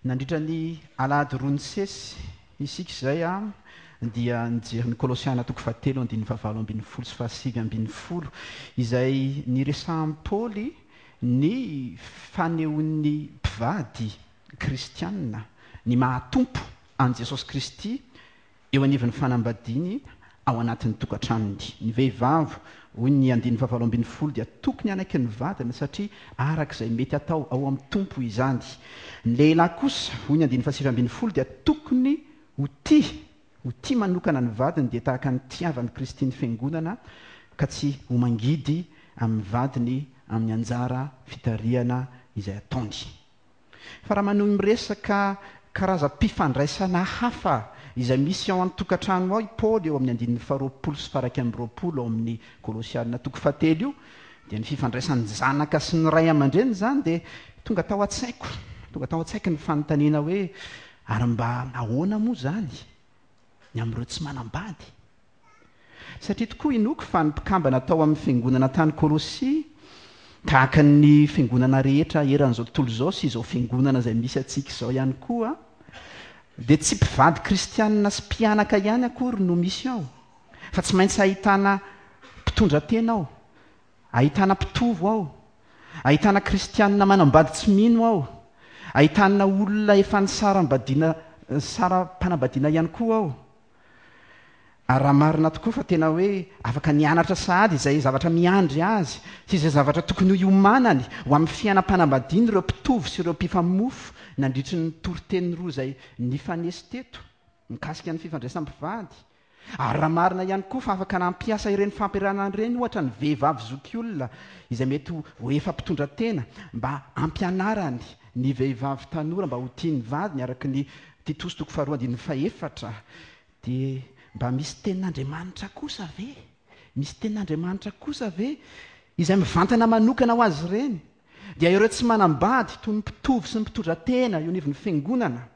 Nandritra ny alahady roa nisesy isika izay dia nijery ny Kolosiana toko fahatelo andininy fahavalo ambin'ny folo sy fahasivy ambin'ny folo izay niresahan'i Paoly ny fanehoan'ny mpivady kristiana ny maha-Tompo an'i Jesosy Kristy eo anivon'ny fanambadiany ao anatin'ny tokantranony. Ny vehivavy, hoy ny andininy fahavalo ambin'ny folo, dia tokony hanaiky ny vadiny satria araka izay mety atao ao amin'ny Tompo izany. Ny lehilahy kosa, hoy ny andininy fahasivy ambin'ny folo, dia tokony ho tia, ho tia manokana ny vadiny dia tahaka ny tiavan'i Kristy ny Fiangonana ka tsy ho mangidy amin'ny vadiny amin'ny anjara fitarihana izay ataony. Fa raha manohy miresaka karazam-pifandraisana hafa izay misy ao an-tokantrano ao i Paoly eo amin'ny andininy faharoapolo sy faharaika amby roapolo ao amin'ny Kolosiana toko fahatelo io, dia ny fifandraisan'ny zanaka sy ny ray aman-dreny izany dia tonga tao an-tsaiko, tonga tao an-tsaiko ny fanontaniana hoe ary mba ahoana moa izany ny amin'ireo tsy manambady? Satria tokoa inoako fa ny mpikambana tao amin'ny fiangonana tany Kolosia, tahaka ny fiangonana rehetra eran'izao tontolo izao sy izao fiangonana izay misy antsika izao ihany koa, dia tsy mpivady kristianina sy mpianaka ihany akory no misy ao, fa tsy maintsy ahitana mpitondra tena ao, ahitana mpitovo ao, ahitana kristianina manambady tsy mino ao, ahitana olona efa nisaram-badiana nisara-panambadiana ihany koa ao. Ary raha marina tokoa fa tena hoe afaka nianatra sahady izay zavatra miandry azy sy izay zavatra tokony hiomanany ho amin'ny fiainam-panambadiany ireo mpitovo sy ireo mpifamofo nandritry ny toriteny roa izay nifanesy teto mikasika ny fifandraisam-pivady, ary raha marina ihany koa fa afaka nampiasa ireny fampianarana ireny ohatra ny vehivavy zokiolona izay mety ho efa mpitondra tena mba hampianarany ny vehivavy tanora mba ho tia ny vadiny araka ny Titosy toko faharoa andininy fahefatra Dia mba misy tenin'Andriamanitra kosa ve? Misy tenin'Andriamanitra kosa ve izay mivantana manokana ho azy ireny? Dia ireo tsy manambady toy ny mpitovo sy ny mpitondra tena eo anivon'ny fiangonana,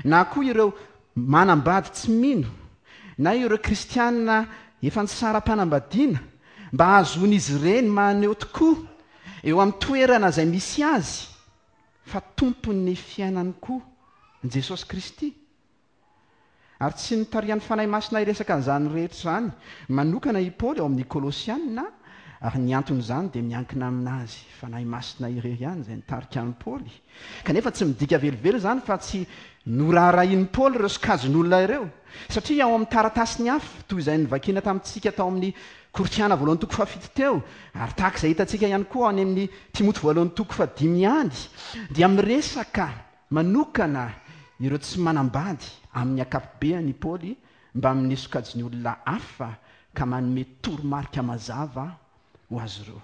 na koa ireo manambady tsy mino, na ireo kristiana efa nisara-panambadiana, mba hahazoan'izy ireny maneho tokoa eo amin'ny toerana izay misy azy fa tompon'ny fiainany koa Jesosy Kristy. Ary tsy notarihan'ny Fanahy Masina hiresaka an'izany rehetra izany manokana i Paoly ao amin'ny Kolosiana, ary ny anton'izany dia miankina amin'azy Fanahy Masina irery ihany izay nitarika an'i Paoly. Kanefa tsy midika velively izany fa tsy noraharahian'i Paoly ireo sokajin'olona ireo, satria ao amin'ny taratasiny hafa, toy izay novakiana tamintsika tao amin'ny Korintiana voalohany toko fahafito teo, ary tahaka izay hitantsika ihany koa any amin'ny Timoty voalohany toko fahadimy ihany, dia miresaka Manokana ireo tsy manambady amin'ny ankapobeany i Paoly mbamin'ny sokajin'ny olona hafa ka manome toromarika mazava ho azy ireo.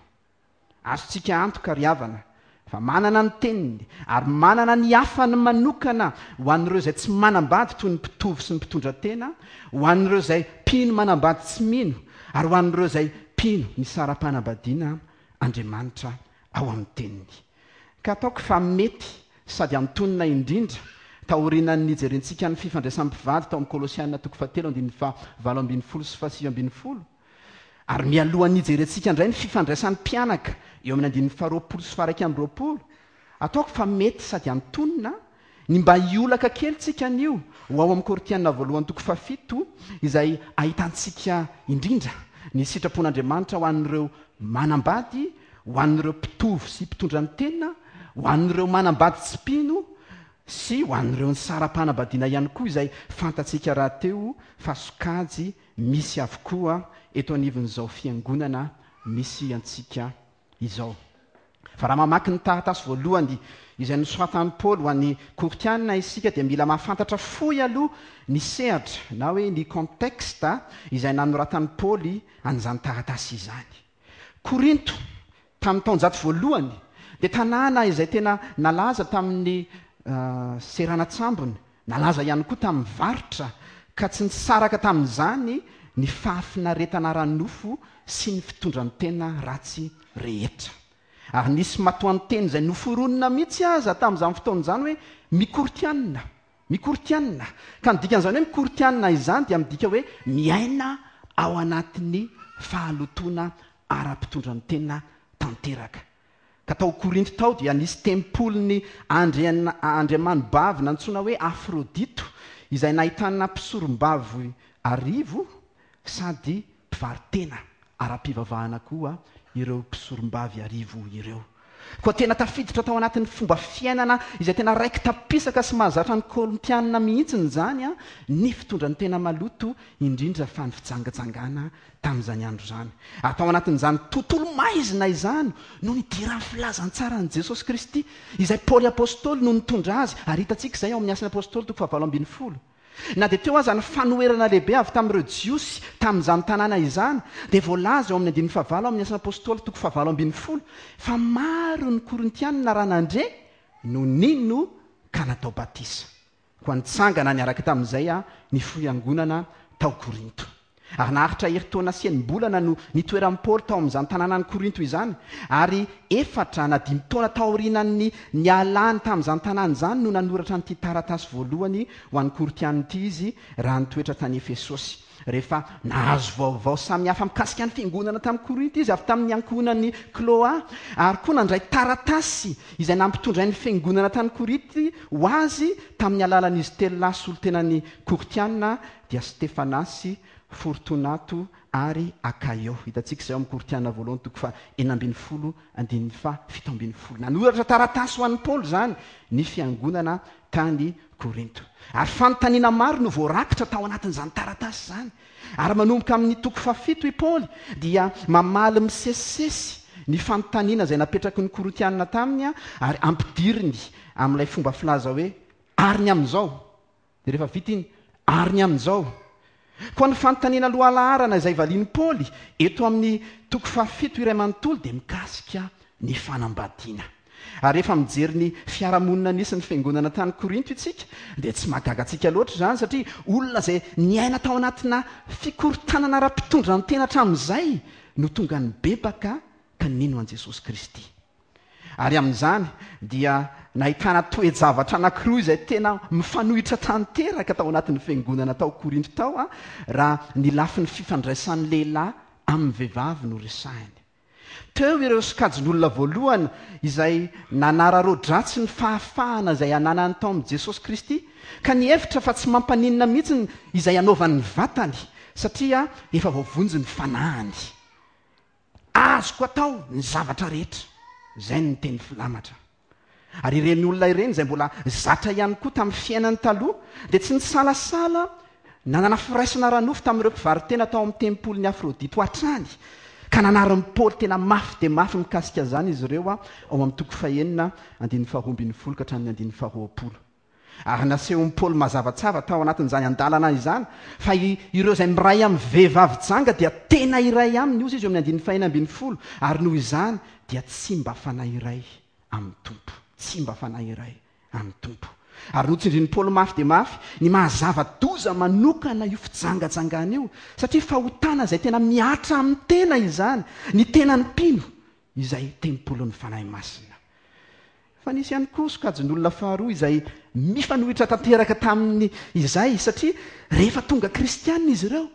Azontsika antoka ry havana fa manana ny teniny ary manana ny hafany manokana ho an'ireo izay tsy manambady toy ny mpitovo sy ny mpitondra tena, ho an'ireo izay mpino manambady tsy mino ary ho an'ireo izay mpino nisara-panambadiana Andriamanitra ao amin'ny teniny. Ka ataoko fa mety sady antonona indrindra, taorianan'ny nijerentsika ny fifandraisan'ny mpivady tao amin'ny Kolosiana toko fahatelo andininy faha-18 sy faha-19, ary mialohan'ny hijerentsika indray ny fifandraisan'ny mpianaka eo amin'ny andininy faha-20 sy faha-21, ataoko fa mety sady antonona ny mba hiolaka kely tsika anio ho ao amin'ny Korintiana voalohany toko fahafito izay ahitantsika indrindra ny sitrapon'Andriamanitra ho an'ireo manambady, ho an'ireo mpitovo sy mpitondra ny tena, ho an'ireo manambady tsy mpino sy ho an'ireo nisara-panambadiana ihany koa izay fantatsika rahateo fa sokajy misy avokoa eto anivon'izao fiangonana misy antsika izao. Fa raha mamaky ny taratasy voalohany izay nosoratan'i Paoly ho an'ny Korintiana isika dia mila mahafantatra fohy aloha ny sehatra na hoe ny contexte izay nanoratan'i Paoly an'izany taratasy izany. Korinto, tamin'ny taonjato voalohany, dia tanàna izay tena nalaza tamin'ny seranan-tsambony, nalaza ihany koa tamin'ny varotra, ka tsy nisaraka tamin'izany ny fahafinaretana ara-nofo sy ny fitondran-tena ratsy rehetra. Ary nisy matoanteny izay noforonina mihitsy aza tamin'izany fotoana izany hoe mikortianina. Mikortianina. Ka ny dikan'izany hoe mikortianina izany dia midika hoe miaina ao anatin'ny fahalotoana ara-pitondran-tena tanteraka. Ka tao Korinto tao dia nisy tempolin'ny andriana andriamanibavy nantsoina hoe Afrodito, izay nahitana mpisorombavy arivo sady mpivaro-tena ara-pivavahana koa ireo mpisorombavy arivo ireo. Koa tena tafiditra tao anatin'ny fomba fiainana izay tena raiki-tapisaka sy mahazatra ny Korintianina mihitsy izany ny fitondran-tena maloto, indrindra fa ny fijangajangana tamin'izany andro izany. Ary tao anatin'izany tontolo maizina izany no nidiran'ny filazantsaran'i Jesosy Kristy, izay Paoly Apostoly no nitondra azy, ary hitantsika izay ao amin'ny Asan'ny Apostoly toko fahavalo ambinifolo. Na dia teo aza ny fanoherana lehibe avy tamin'ireo Jiosy tamin'izany tanàna izany, dia voalaza eo amin'ny andininy fahavalo amin'ny Asan'ny Apostoly toko fahavalo ambinifolo fa maro ny Korintianina raha nandre no nino ka natao batisa. Koa nitsangana niaraka tamin'izay ny fiangonana tao Korinto. Ary naharitra herintaona sy enim-bolana no nitoeran'i Paoly tao amin'izany tanànan'i Korinto izany, ary efatra na dimy taona taorianan'ny nialany tamin'izany tanàna izany no nanoratra an'ity taratasy voalohany ho an'ny Korintiana ity izy raha nitoetra tany Efesosy. Rehefa nahazo vaovao samihafa mikasika ny fiangonana tamin'i Korinto izy avy tamin'ny ankohonan'i Kloa, ary koa nandray taratasy izay nampitondrain'ny fiangonana tany Korinto ho azy tamin'ny alalan'izy telolahy solontenan'ny Korintiana, dia Stefanasy, Fortonato ary Akaio. Hitantsika izay ao amin'ny Korintiana voalohany toko faha 16 andininy faha 17. Nanoratra taratasy ho an'i Paoly izany ny fiangonana tany Korinto. Ary fanontaniana maro no voarakitra tao anatin'izany taratasy izany. Ary manomboka amin'ny toko fahafito i Paoly dia mamaly misesisesy ny fanontaniana izay napetraky ny Korintiana taminy ary ampidiriny amin'ilay fomba filaza hoe ary ny amin'izao. Dia rehefa vita iny, ary ny amin'izao? Koa ny fanontaniana lohalaharana izay valian'i Paoly eto amin'ny toko fahafito iray manontolo dia mikasika ny fanambadiana. Ary rehefa mijery ny fiarahamonina nisy ny fiangonana tany Korinto isika, dia tsy mahagaga antsika loatra izany, satria olona izay niaina tao anatina fikorontanana ara-pitondran-tena hatramin'izay no tonga nibebaka ka nino an'i Jesosy Kristy. Ary amin'izany dia nahitana toe-javatra anankiroa izay tena mifanohitra tanteraka tao anatin'ny fiangonana tao Korinto tao raha ny lafiny fifandraisan'ny lehilahy amin'ny vehivavy no resahiny. Teo ireo sokajin'olona voalohany izay nanararaodratsy ny fahafahana izay ananany tao amin'i Jesosy Kristy ka nihevitra fa tsy mampaninona mihitsy izay anaovany ny vatany satria efa voavonjy ny fanahiny. Azoko atao ny zavatra rehetra. Izay no teny filamatra. Ary ireny olona ireny izay mbola zatra ihany koa tamin'ny fiainany taloha dia tsy nisalasala nanana firaisana ara-nofo tamin'ireo mpivaro-tena tao amin'ny tempolin'i Afrodito hatrany, ka nanarin'i Paoly tena mafy dia mafy mikasika izany izy ireo ao amin'ny toko fahenina andininy faharoambinifolo ka hatramin'ny andininy faharoapolo. Ary nasehon'i Paoly mazava tsara tao anatin'izany andalana izany fa ireo izay miray amin'ny vehivavy janga dia tena iray aminy, hozy izy eo amin'ny andininy fahenina ambinifolo, ary noho izany dia tsy mba fanahy iray amin'ny Tompo. Tsy mba fanahy iray amin'ny Tompo. Ary notsindrin'i Paoly mafy dia mafy ny maha zava-doza manokana io fijangajangana io, satria fahotana izay tena mihatra amin'ny tena izany, ny tenan'ny mpino, izay tempolin'ny Fanahy Masina. Fa nisy ihany koa sokajin'olona faharoa izay mifanohitra tanteraka tamin'ny izay, satria rehefa tonga kristiana izy ireo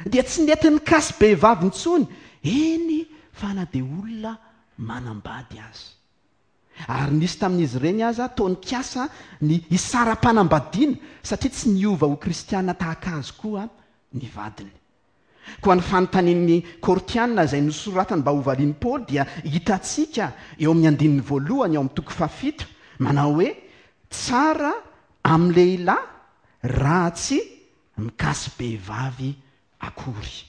dia tsy nety nikasi-behivavy intsony, eny fa na dia olona manambady aza. Ary nisy tamin'izy ireny aza toa nikasa ny hisara-panambadiana satria tsy niova ho kristiana tahaka azy koa ny vadiny. Koa ny fanontanian'ny Korintiana izay nosoratany mba hovalian'i Paoly dia hitantsika eo amin'ny andininy voalohany ao amin'ny toko fahafito, manao hoe, Tsara amin'ny lehilahy raha tsy mikasi-behivavy akory.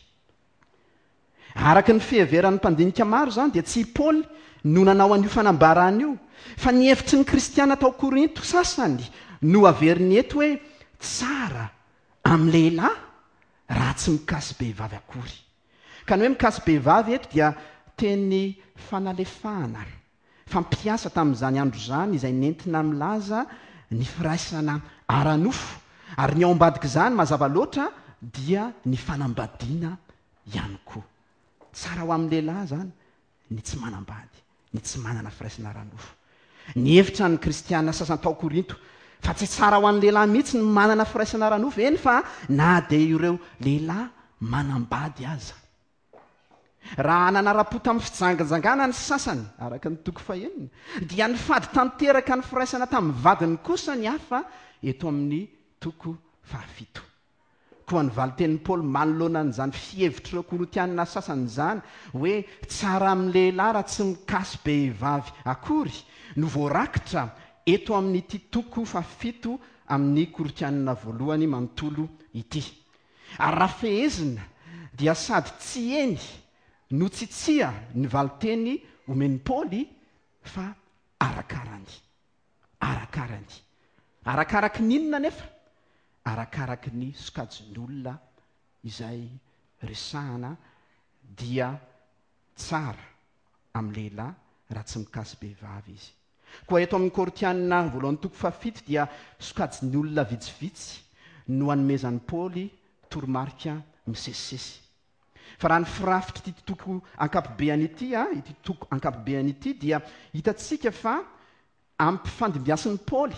Araka ny fiheveran'ny mpandinika maro izany dia tsy i Paoly no nanao an'io fanambarana io, fa ny hevitry ny Kristiana tao Korinto sasany no averiny eto hoe tsara amin'ny lehilahy raha tsy mikasi-behivavy akory. Ka ny hoe mikasi-behivavy eto dia teny fanalefahana fampiasa tamin'izany andro izany izay nentina milaza ny firaisana ara-nofo, ary ny ao ambadik'izany mazava loatra dia ny fanambadiana ihany koa. Tsara ho amin'ny lehilahy izany ny tsy manambady, ny tsy manana firaisana ara-nofo. Nihevitra ny Kristiana sasany tao Korinto fa tsy tsara ho an'ny lehilahy mihitsy ny manana firaisana ara-nofo, eny fa na dia ireo lehilahy manambady aza. Raha nanara-po tamin'ny fijangajangana ny sasany, araka ny toko fahenina, dia nifady tanteraka ny firaisana tamin'ny vadiny kosa ny hafa eto amin'ny toko fahafito. Koa ny valin-tenin'i Paoly manoloana an'izany fihevitr'ireo Korintianina sasany izany hoe tsara amin'ny lehilahy raha tsy mikasi-behivavy akory no voarakitra eto amin'ity toko fahafito amin'ny Korintianina voalohany manontolo ity. Ary raha fehezina dia sady tsy eny no tsy tsia ny valin-teny omen'i Paoly fa arakarany. Arakarany. Arakaraky ny inona anefa? Arakaraky ny sokajin'olona izay resahana dia tsara amin'ny lehilahy raha tsy mikasi-behivavy izy. Koa eto amin'ny Korintiana voalohany toko fahafito dia sokajin'ny olona vitsivitsy no anomezan'i Paoly toromarika misesisesy. Fa raha ny firafitr'ity toko ankapobeany ity, ity toko ankapobeany ity dia hitantsika fa ampifandimbiasin'i Paoly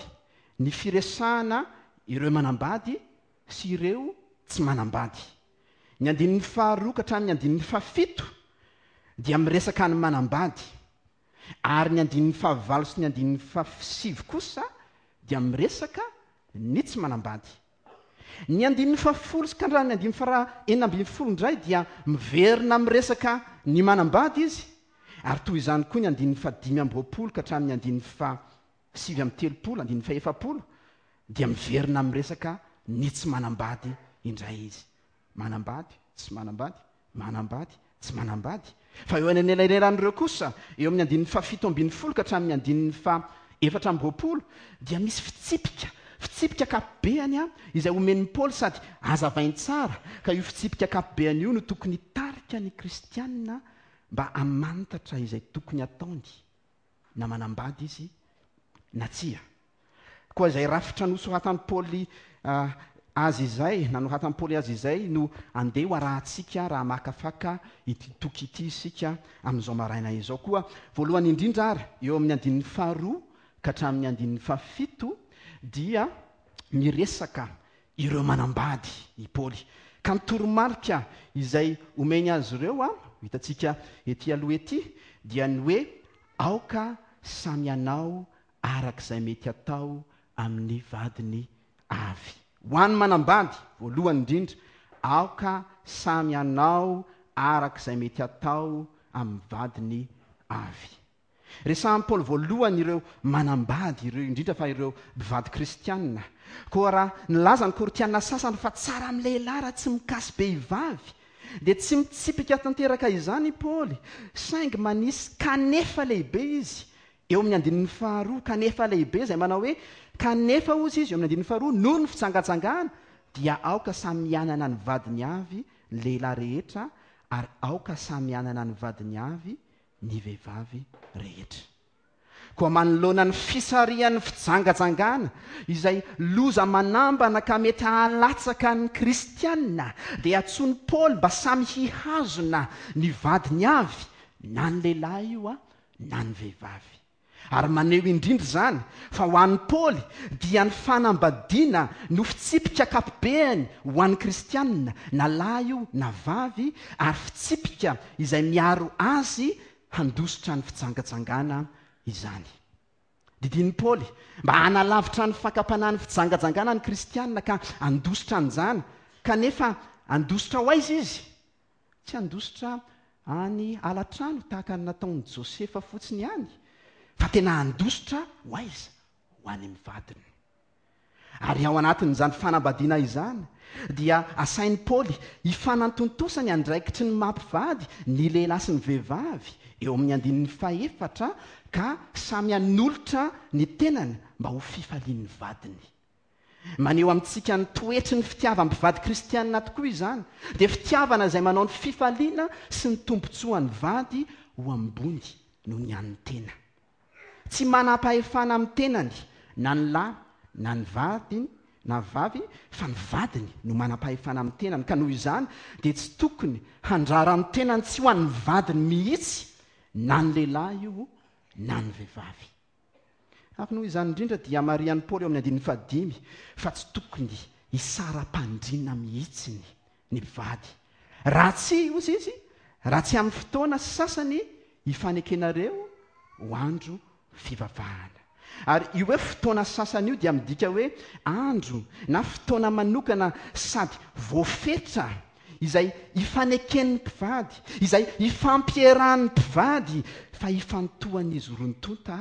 ny firesahana ireo manambady sy ireo tsy manambady. Ny andininy faharoa ka hatramin'ny andininy fahafito dia miresaka ny manambady, ary ny andininy fahavalo sy ny andininy fahasivy kosa dia miresaka ny tsy manambady. Ny andininy fahafolo sy ka ny andininy faha 16 indray dia miverina miresaka ny manambady izy, ary toy izany koa ny andininy faha 25 ka hatramin'ny andininy faha 39, andininy faha 40, dia miverina miresaka ny tsy manambady indray izy. Manambady, tsy manambady, manambady, tsy manambady. Fa eo anelanelan'ireo kosa, eo amin'ny andininy faha 17 ka hatramin'ny andininy faha 24, dia misy fitsipika, fitsipika ankapobeany izay omen'i Paoly sady hazavainy tsara, ka io fitsipika ankapobeany io no tokony hitarika ny kristiana mba hamantatra izay tokony hataony na manambady izy na tsia. Koa izay rafitra nosoratan'i Paoly azy izay, nanoratan'i Paoly azy izay no andeha ho arahantsika raha hamakafaka ity toko ity isika amin'izao maraina izao. Koa voalohany indrindra ary, eo amin'ny andininy faharoa ka hatramin'ny andininy fahafito dia miresaka ireo manambady i Paoly. Ka ny toromarika izay omeny azy ireo, ho hitantsika ety aloha ety, dia ny hoe aoka samy hanao araka izay mety atao amin'ny vadiny avy. Ho an'ny manambady, voalohany indrindra, aoka samy hanao araka izay mety atao amin'ny vadiny avy. Resahin'i Paoly voalohany ireo manambady ireo, indrindra fa ireo mpivady kristianina. Koa raha nilaza ny Korintiana sasany fa tsara amin'ny lehilahy raha tsy mikasi-behivavy, dia tsy mitsipika tanteraka izany i Paoly, saingy manisy kanefa lehibe izy eo amin'ny andininy faharoa, kanefa lehibe izay manao hoe, Kanefa, hozy izy eo amin'ny andininy faharoa, noho ny fijangajangana, dia aoka samy hanana ny vadiny avy ny lehilahy rehetra, ary aoka samy hanana ny vadiny avy ny vehivavy rehetra. Koa manoloana ny fisarihan'ny fijangajangana, izay loza manambana ka mety hahalatsaka ny kristiana, dia antsoin'i Paoly mba samy hihazona ny vadiny avy, na ny lehilahy io na ny vehivavy. Ary maneho indrindra izany fa ho an'i Paoly dia ny fanambadiana no fitsipika ankapobeany ho an'ny kristiana, na lahy io na vavy, ary fitsipika izay miaro azy handositra ny fijangajangana izany. Didian'i Paoly mba hanalavitra ny fakam-panahin'ny fijangajangana ny kristiana ka handositra an'izany, kanefa handositra ho aiza izy? Tsy handositra any ala-trano tahaka ny nataon'i Josefa fotsiny ihany, fa tena handositra ho aiza? Ho any amin'ny vadiny. Ary ao anatin'izany fanambadiana izany, dia asain'i Paoly hifanantontosa ny andraikitry ny maha mpivady ny lehilahy sy ny vehivavy, eo amin'ny andininy fahefatra, ka samy hanolotra ny tenany mba ho fifalian'ny vadiny. Maneho amintsika ny toetry ny fitiavam-pivady kristianina tokoa izany, dia fitiavana izay manao ny fifaliana sy ny tombontsoan'ny vady ho ambony noho ny an'ny tena. Tsy manam-pahefana amin'ny tenany na ny lahy na ny vadiny na vavy fa ny vadiny no manam-pahefana amin'ny tenany ka noho izany dia tsy tokony handrara ny tenany tsy ho an'ny vadiny mihitsy na ny lehilahy io na ny vehivavy. Ary noho izany indrindra dia marihan'i Paoly eo amin'ny andininy fahadimy fa tsy tokony hisara-pandriana mihitsy ny mpivady. Raha tsy, hozy izy, Raha tsy amin'ny fotoana sasany ifanekenareo ho andro fivavahana. Ary io hoe fotoana sasany io dia midika hoe andro na fotoana manokana sady voafetra izay ifaneken'ny mpivady, izay ifampierahan'ny mpivady fa ifantohan'izy roa tonta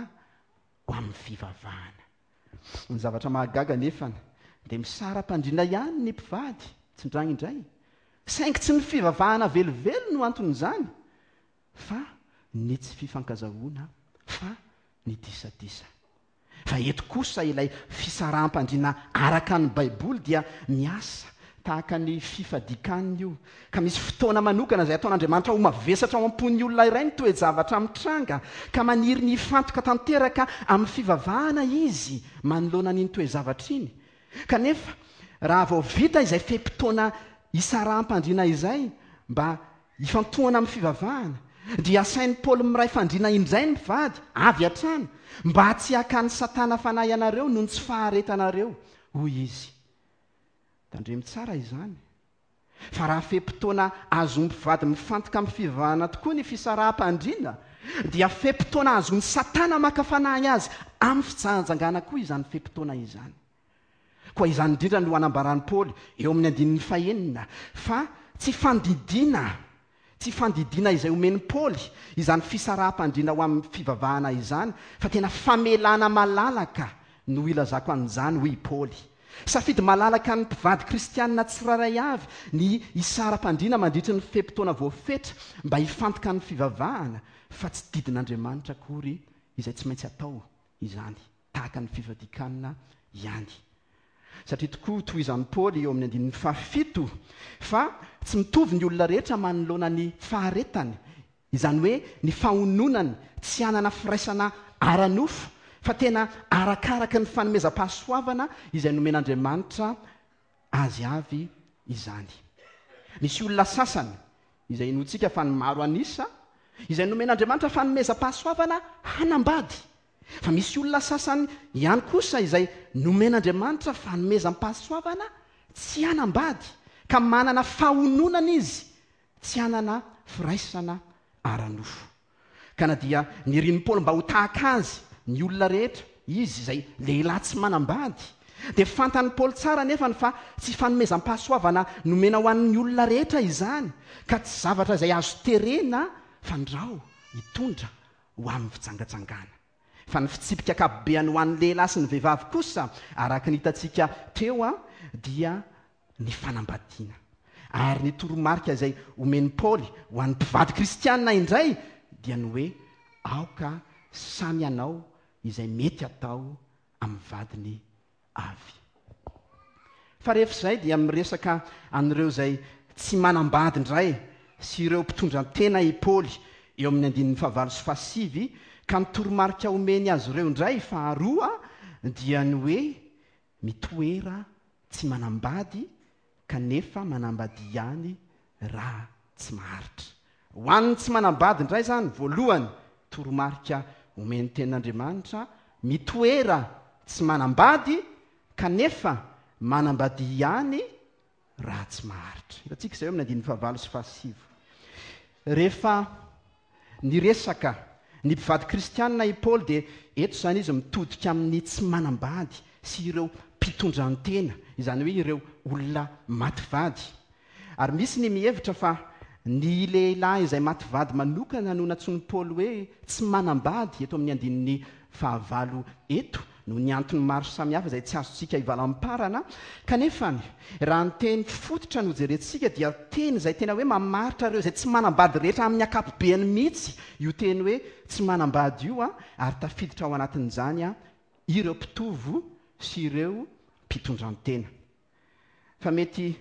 ho amin'ny fivavahana. Ny zavatra mahagaga anefa dia misara-pandriana ihany ny mpivady tsindraindray, saingy tsy ny fivavahana velively no anton'izany fa ny tsy fifankazahoana fa ny disadisa. Fa eto kosa ilay fisaraham-pandriana araka ny Baiboly dia miasa tahaka ny fifadian-kanina io, ka misy fotoana manokana izay ataon'Andriamanitra ho mavesatra ao am-pon'ny olona iray ny toe-javatra mitranga, ka maniry ny hifantoka tanteraka amin'ny fivavahana izy manoloana an'iny toe-javatra iny. Kanefa, raha vao vita izay fe-potoana isaraham-pandriana izay mba Ifantohana amin'ny fivavahana, dia asain'i Paoly miray fandriana indray ny mpivady, avy hatrany, mba tsy hakan'i Satana fanahy anareo noho ny tsy faharetanareo, hoy izy. Tandremo tsara izany, fa raha fe-potoana azon'ny mpivady mifantoka amin'ny fivavahana tokoa ny fisaraham-pandriana, dia fe-potoana azon'i Satana maka fanahy azy amin'ny fijangajangana koa izany fe-potoana izany. Koa izany indrindra no anambaran'i Paoly eo amin'ny andininy fahenina fa tsy fandidiana, tsy fandidiana izay omen'i Paoly izany fisaraham-pandriana ho amin'ny fivavahana izany, fa tena famelana malalaka no ilazako an'izany, hoy i Paoly. Safidy malalaka an'ny mpivady kristianina tsirairay avy ny hisara-pandriana mandritry ny fe-potoana voafetra mba hifantoka amin'ny fivavahana, fa tsy didin'Andriamanitra akory izay tsy maintsy atao izany. tahaka ny fifadian-kanina ihany. Satria tokoa, tohizan'i Paoly eo amin'ny andininy fahafito, fa tsy mitovy ny olona rehetra manoloana ny faharetany, izany hoe ny fahononany tsy hanana firaisana ara-nofo, fa tena arakaraka ny fanomezam-pahasoavana izay nomen'Andriamanitra azy avy izany. Misy olona sasany, izay inoantsika fa ny maro an'isa, izay nomen'Andriamanitra fanomezam-pahasoavana hanambady, Fa misy olona sasany ihany kosa izay nomen'Andriamanitra fanomezam-pahasoavana tsy hanambady, ka manana fahononana izy tsy hanana firaisana ara-nofo. Ka na dia nirin'i Paoly mba ho tahaka azy ny olona rehetra, izy izay lehilahy tsy manambady, dia fantan'i Paoly tsara anefa fa tsy fanomezam-pahasoavana nomena ho an'ny olona rehetra izany, ka tsy zavatra izay azo terena fandrao hitondra ho amin'ny fijangajangana. Fa ny fitsipika ankapobeany ho an'ny lehilahy sy ny vehivavy kosa, araka ny hitantsika teo, dia ny fanambadiana. Ary ny toromarika izay omen'i Paoly ho an'ny mpivady kristiana indray dia ny hoe aoka samy hanao izay mety hatao amin'ny vadiny avy. Fa rehefa izay dia miresaka an'ireo izay tsy manambady indray sy ireo mpitondra tena i Paoly eo amin'ny andininy fahavalo sy fahasivy, ka ny toromarika omeny azy ireo indray faharoa dia ny hoe mitoera tsy manambady kanefa manambadia ihany raha tsy maharitra. Ho an'ny tsy manambady indray izany, voalohany, toromarika omen'ny Tenin'Andriamanitra, mitoera tsy manambady kanefa manambadia ihany raha tsy maharitra. Hitantsika izay eo amin'ny andininy fahavalo sy fahasivy. Rehefa niresaka ny mpivady kristianina i Paoly dia eto izany izy mitodika amin'ny tsy manambady sy ireo mpitondran-tena, izany hoe ireo olona maty vady. Ary misy ny mihevitra fa ny lehilahy izay maty vady manokana no nantsoin'i Paoly hoe tsy manambady eto amin'ny andininy fahavalo eto, noho ny antony maro samihafa izay tsy azontsika ivalamparana. Kanefa, raha ny teny fototra no jerentsika dia teny izay tena hoe mamaritra ireo izay tsy manambady rehetra amin'ny ankapobeany mihitsy io teny hoe tsy manambady io, ary tafiditra ao anatin'izany ireo mpitovo sy ireo mpitondran-tena. Fa mety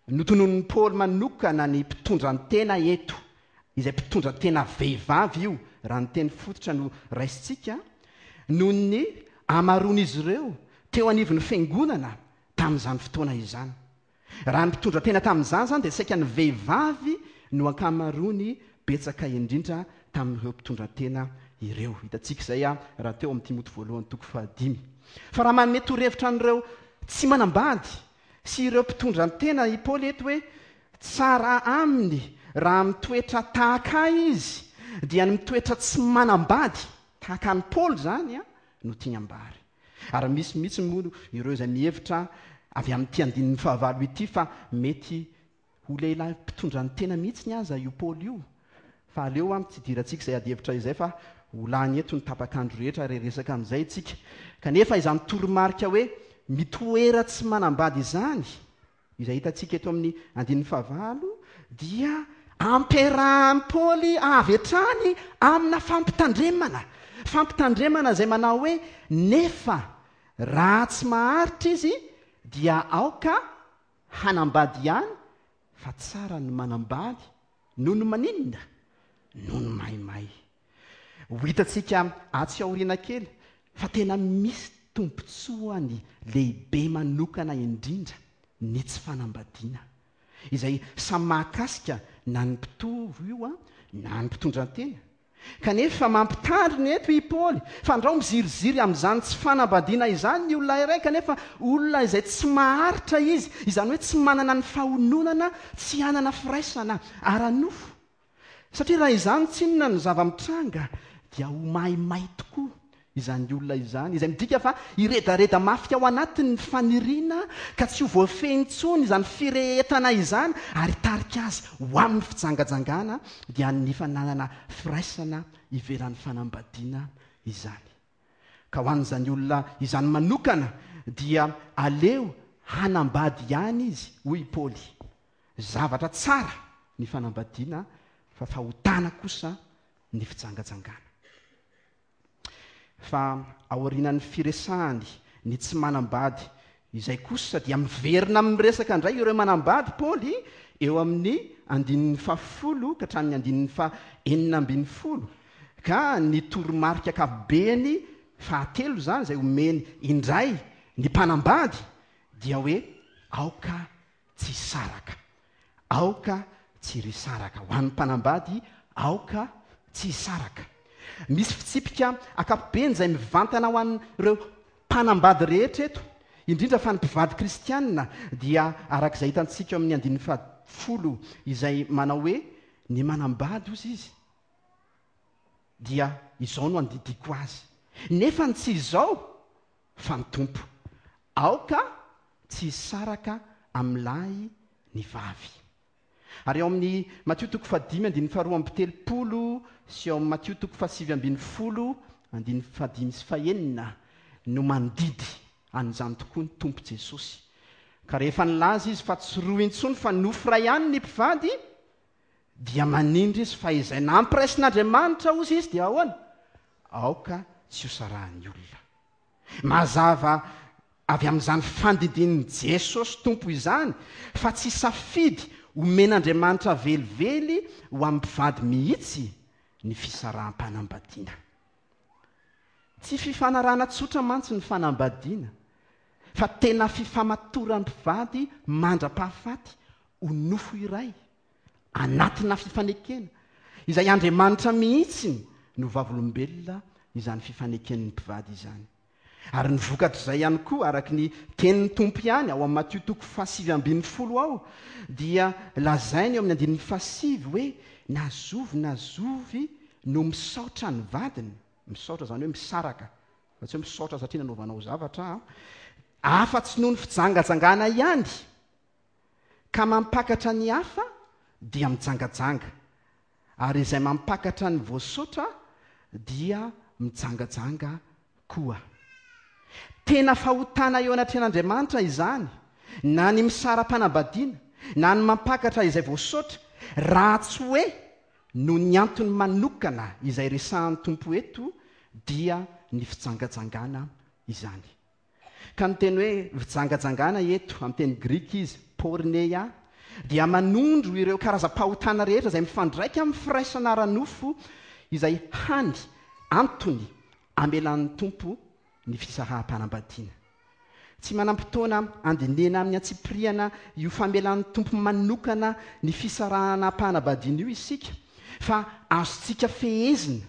notononin'i Paoly manokana ny mpitondran-tena eto, izay mpitondra tena vehivavy io, raha ny teny fototra no raisintsika, noho ny hamaroan'izy ireo teo anivon'ny fiangonana tamin'izany fotoana izany. Raha ny mpitondra tena tamin'izany izany dia saika ny vehivavy no ankamaroany betsaka indrindra tamin'ireo mpitondra tena ireo. Hitantsika izay raha teo amin'ny Timoty voalohany toko fahadimy. Fa raha manome torohevitra an'ireo tsy manambady sy ireo mpitondra tena i Paoly eto hoe tsara aminy raha mitoetra tahaka ahy izy, dia ny mitoetra tsy manambady tahaka an'i Paoly izany no tiany ambara. Ary misy mihitsy moa ireo izay mihevitra avy amin'ity andininy fahavalo ity fa mety ho lehilahy mpitondra ny tena mihitsy aza io Paoly io. Fa aleo an, tsy idirantsika izay adihevitra izay fa ho lany eto ny tapak'andro rehetra ary hiresaka amin'izay isika. Kanefa izany toromarika hoe mitoera tsy manambady izany, izay hitantsika eto amin'ny andininy fahavalo, dia ampiarahan'i Paoly avy hatrany amina fampitandremana. Fampitandremana izay manao hoe, nefa raha tsy maharitra izy dia aoka hanambady ihany fa tsara ny manambady noho ny maninona? Noho ny maimay. Ho hitantsika atsy aoriana kely fa tena misy tombontsoany lehibe manokana indrindra ny tsy fanambadiana, izay samy mahakasika na ny mpitovo io na ny mpitondran-tena. Kanefa mampitandrina eto i Paoly fandrao miziriziry amin'izany tsy fanambadiana izany ny olona iray kanefa olona izay tsy maharitra izy, izany hoe tsy manana ny fahononana tsy hanana firaisana ara-nofo. Satria raha izany tsinona no zava-mitranga dia ho maimay tokoa izany olona izany, izay midika fa hiredareda mafy ao anatiny ny faniriana ka tsy ho voafehy intsony izany firehetana izany ary hitarika azy ho amin'ny fijangajangana dia ny fananana firaisana ivelan'ny fanambadiana izany. Ka ho an'izany olona izany manokana dia aleo hanambady ihany izy, hoy i Paoly. Zavatra tsara ny fanambadiana fa fahotana kosa ny fijangajangana. Fa aorianan'ny firesahany ny tsy manambady izay kosa dia miverina miresaka indray ireo manambady Paoly eo amin'ny andininy fahafolo ka hatramin'ny andininy fahenina ambin'ny folo ka ny toromarika ankapobeny fahatelo izany izay omeny indray ny mpanambady dia hoe aoka tsy hisaraka. Aoka tsy risaraka. Ho an'ny mpanambady, aoka tsy hisaraka. Misy fitsipika ankapobeny izay mivantana ho an'ireo mpanambady rehetra eto, indrindra fa ny mpivady kristiana, dia araka izay hitantsika eo amin'ny andininy fahafolo izay manao hoe, Ny manambady, hozy izy, dia izao no andidiako azy. Nefa ny tsy izao, fa ny Tompo. Aoka tsy hisaraka amin'ny lahy ny vavy. Ary ao amin'ny Matio toko fahadimy andininy faharoa amby telopolo sy ao amin'ny Matio toko fahasivy ambinifolo andininy fahadimy sy fahenina no mandidy an'izany tokoa ny Tompo Jesosy. Ka rehefa nilaza Izy fa tsy roa intsony fa nofo iray ihany ny mpivady, dia manindry Izy fa izay nampiraisin'Andriamanitra, hozy Izy, dia ahoana? Aoka tsy hosarahan'ny olona. Mazava avy amin'izany fandidian'i Jesosy Tompo izany fa tsy safidy omen'Andriamanitra velively ho amin'ny mpivady mihitsy ny fisaraham-panambadiana. Tsy fifanarahana tsotra mantsy ny fanambadiana, fa tena fifamatoran'ny mpivady mandra-pahafaty ho nofo iray, anatina fifanekena, izay Andriamanitra mihitsy no vavolombelona izany fifaneken'ny mpivady izany. Ary ny vokatr'izay ihany koa, araka ny tenin'ny Tompo ihany, ao amin'ny Matio toko fahasivy ambinifolo ao, dia lazainy eo amin'ny andininy fahasivy hoe, na zovy na zovy no misaotra ny vadiny, misaotra izany hoe misaraka, fa tsy hoe misaotra satria nanaovanao zavatra an, afa-tsy noho ny fijangajangana ihany, Ka mampakatra ny hafa dia mijangajanga, ary izay mampakatra ny voasotra dia mijangajanga koa. Tena fahotana eo anatrehan'Andriamanitra izany, na ny misara-panambadiana, na ny mampakatra izay voasotra, raha tsy hoe noho ny antony manokana izay resahan'ny Tompo eto dia ny fijangajangana izany. Ka ny teny hoe fijangajangana eto, amin'ny teny grika izy, porneia, dia manondro ireo karazam-pahotana rehetra izay mifandraika amin'ny firaisana ara-nofo izay hany antony amelan'ny Tompo ny fisaraham-panambadiana. Tsy manam-potoana handinihana amin'ny antsipiriany io famelan'ny Tompo manokana ny fisarahana am-panambadiana io isika, fa azontsika fehezina.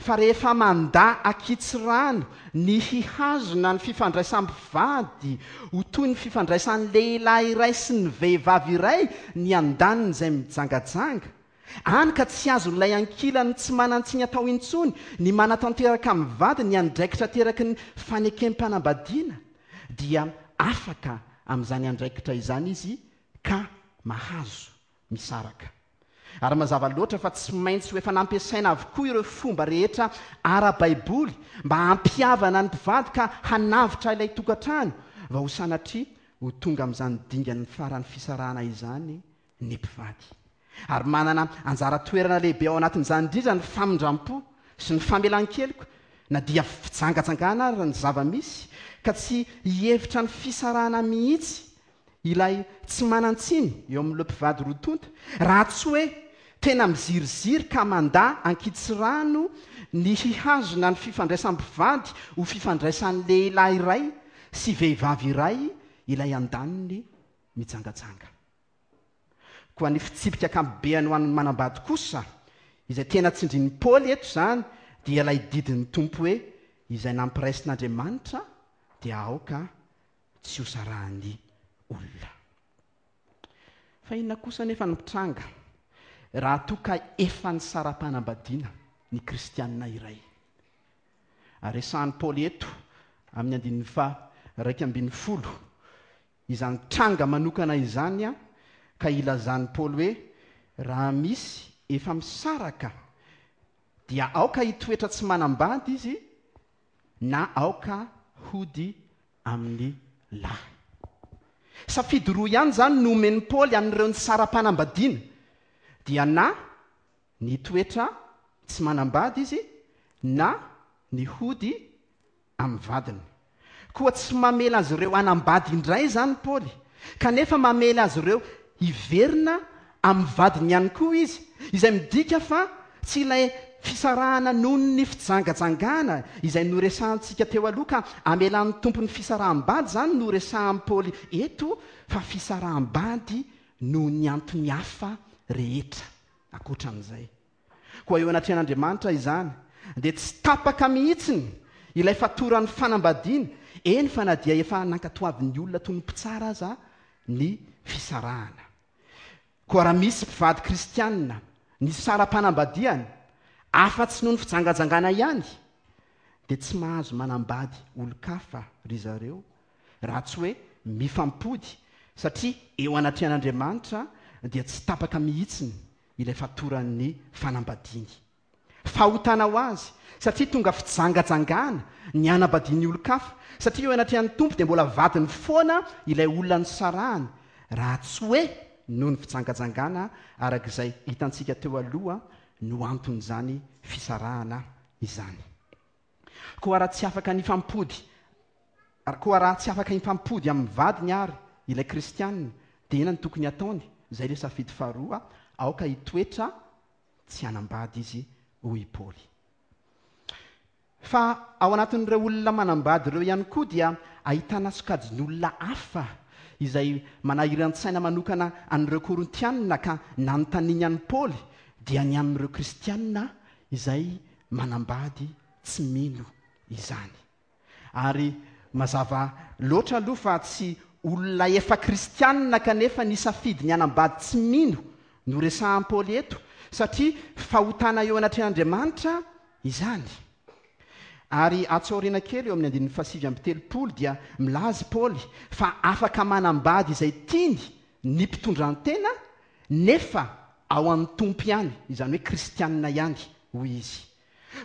fa rehefa mandà ankitsirano ny hihazona ny fifandraisam-pivady ho toy ny fifandraisan'ny lehilahy iray sy ny vehivavy iray ny andaniny izay mijangajanga, hany ka tsy azon'ilay ankilany tsy manan-tsiny atao intsony ny manatanteraka amin'ny vadiny ny andraikitra ateraky ny fanekem-panambadiana, dia afaka amin'izany andraikitra izany izy ka mahazo misaraka. Ary mazava loatra fa tsy maintsy ho efa nampiasaina avokoa ireo fomba rehetra ara-baiboly mba hampihavana ny mpivady ka hanavotra ilay tokantrano vao ho sanatria ho tonga amin'izany dingan'ny faran'ny fisarahana izany ny mpivady. Ary manana anjara toerana lehibe ao anatin'izany indrindra ny famindram-po sy ny famelan-keloka na dia fijangajangana ary ny zava-misy ka tsy hihevitra ny fisarahana mihitsy Ilay tsy manan-tsiny eo amin'ireo mpivady roa tonta, raha tsy hoe tena miziriziry ka mandà ankitsirano ny hihazona ny fifandraisam-pivady ho fifandraisan'ny lehilahy iray sy vehivavy iray ilay andaniny mijangajanga. Koa ny fitsipika ankapobeany ho an'ny manambady kosa, izay tena tsindrin'i Paoly eto izany, dia ilay didin'ny Tompo hoe, Izay nampiraisin'Andriamanitra dia aoka tsy hosarahan'ny olona. Fa inona kosa anefa no mitranga raha toa ka efa nisara-panambadiana ny kristianina iray? Ary resahan'i Paoly eto amin'ny andininy faha-11 izany tranga manokana izany ka ilazan'i Paoly hoe raha misy efa misaraka dia aoka hitoetra tsy manambady izy na aoka hody amin'ny lahy. Safidy roa ihany izany no omen'i Paoly an'ireo nisara-panambadiana, dia na ny hitoetra tsy manambady izy na ny hody amin'ny vadiny. Koa tsy mamela azy ireo hanambady indray izany Paoly, kanefa mamela azy ireo hiverina amin'ny vadiny ihany koa izy, izay midika fa tsy ilay fisarahana noho ny fijangajangana izay noresahantsika teo aloha ka amelan'ny Tompo ny fisaraham-bady izany no resahan'i Paoly eto fa fisaraham-bady noho ny antony hafa rehetra ankoatran'izay. Koa eo anatrehan'Andriamanitra izany dia tsy tapaka mihitsiny ilay fatoran'ny fanambadiana, eny fa na dia efa nankatoavin'ny olona toy ny mpitsara aza ny fisarahana. Koa raha misy mpivady kristianina nisara-panambadiana, afa-tsy noho ny fijangajangana ihany, dia tsy mahazo manambady olon-kafa ry zareo, raha tsy hoe mifampody, satria eo anatrehan'Andriamanitra dia tsy tapaka mihitsiny ilay fatoran'ny fanambadiany. Fahotana ho azy, satria tonga fijangajangana ny hanambadiany olon-kafa, satria eo anatrehan'ny Tompo dia mbola vadiny foana ilay olona nisarahany, raha tsy hoe noho ny fijangajangana araka izay hitantsika teo aloha no anton'izany fisarahana izany. Koa raha tsy afaka nifampody Koa raha tsy afaka hifampody amin'ny vadiny àry ilay Kristianina, dia inona no tokony hataony? Izay ilay safidy faharoa, aoka hitoetra tsy hanambady izy, hoy i Paoly. Fa ao anatin'ireo olona manambady ireo ihany koa dia ahitana sokajin'olona hafa izay manahiran-tsaina manokana an'ireo Korintianina ka nanontaniany an'i Paoly dia ny amin'ireo Kristianina izay manambady tsy mino izany. Ary mazava loatra aloha fa tsy olona efa kristianina kanefa nisafidy ny hanambady tsy mino no resahan'i Paoly eto, satria fahotana eo anatrehan'Andriamanitra izany. Ary atsy aoriana kely eo amin'ny andininy fahasivy amby telopolo dia milaza i Paoly fa afaka manambady izay tiany ny mpitondran-tena nefa ao amin'ny Tompo ihany, izany hoe kristianina ihany, hoy izy.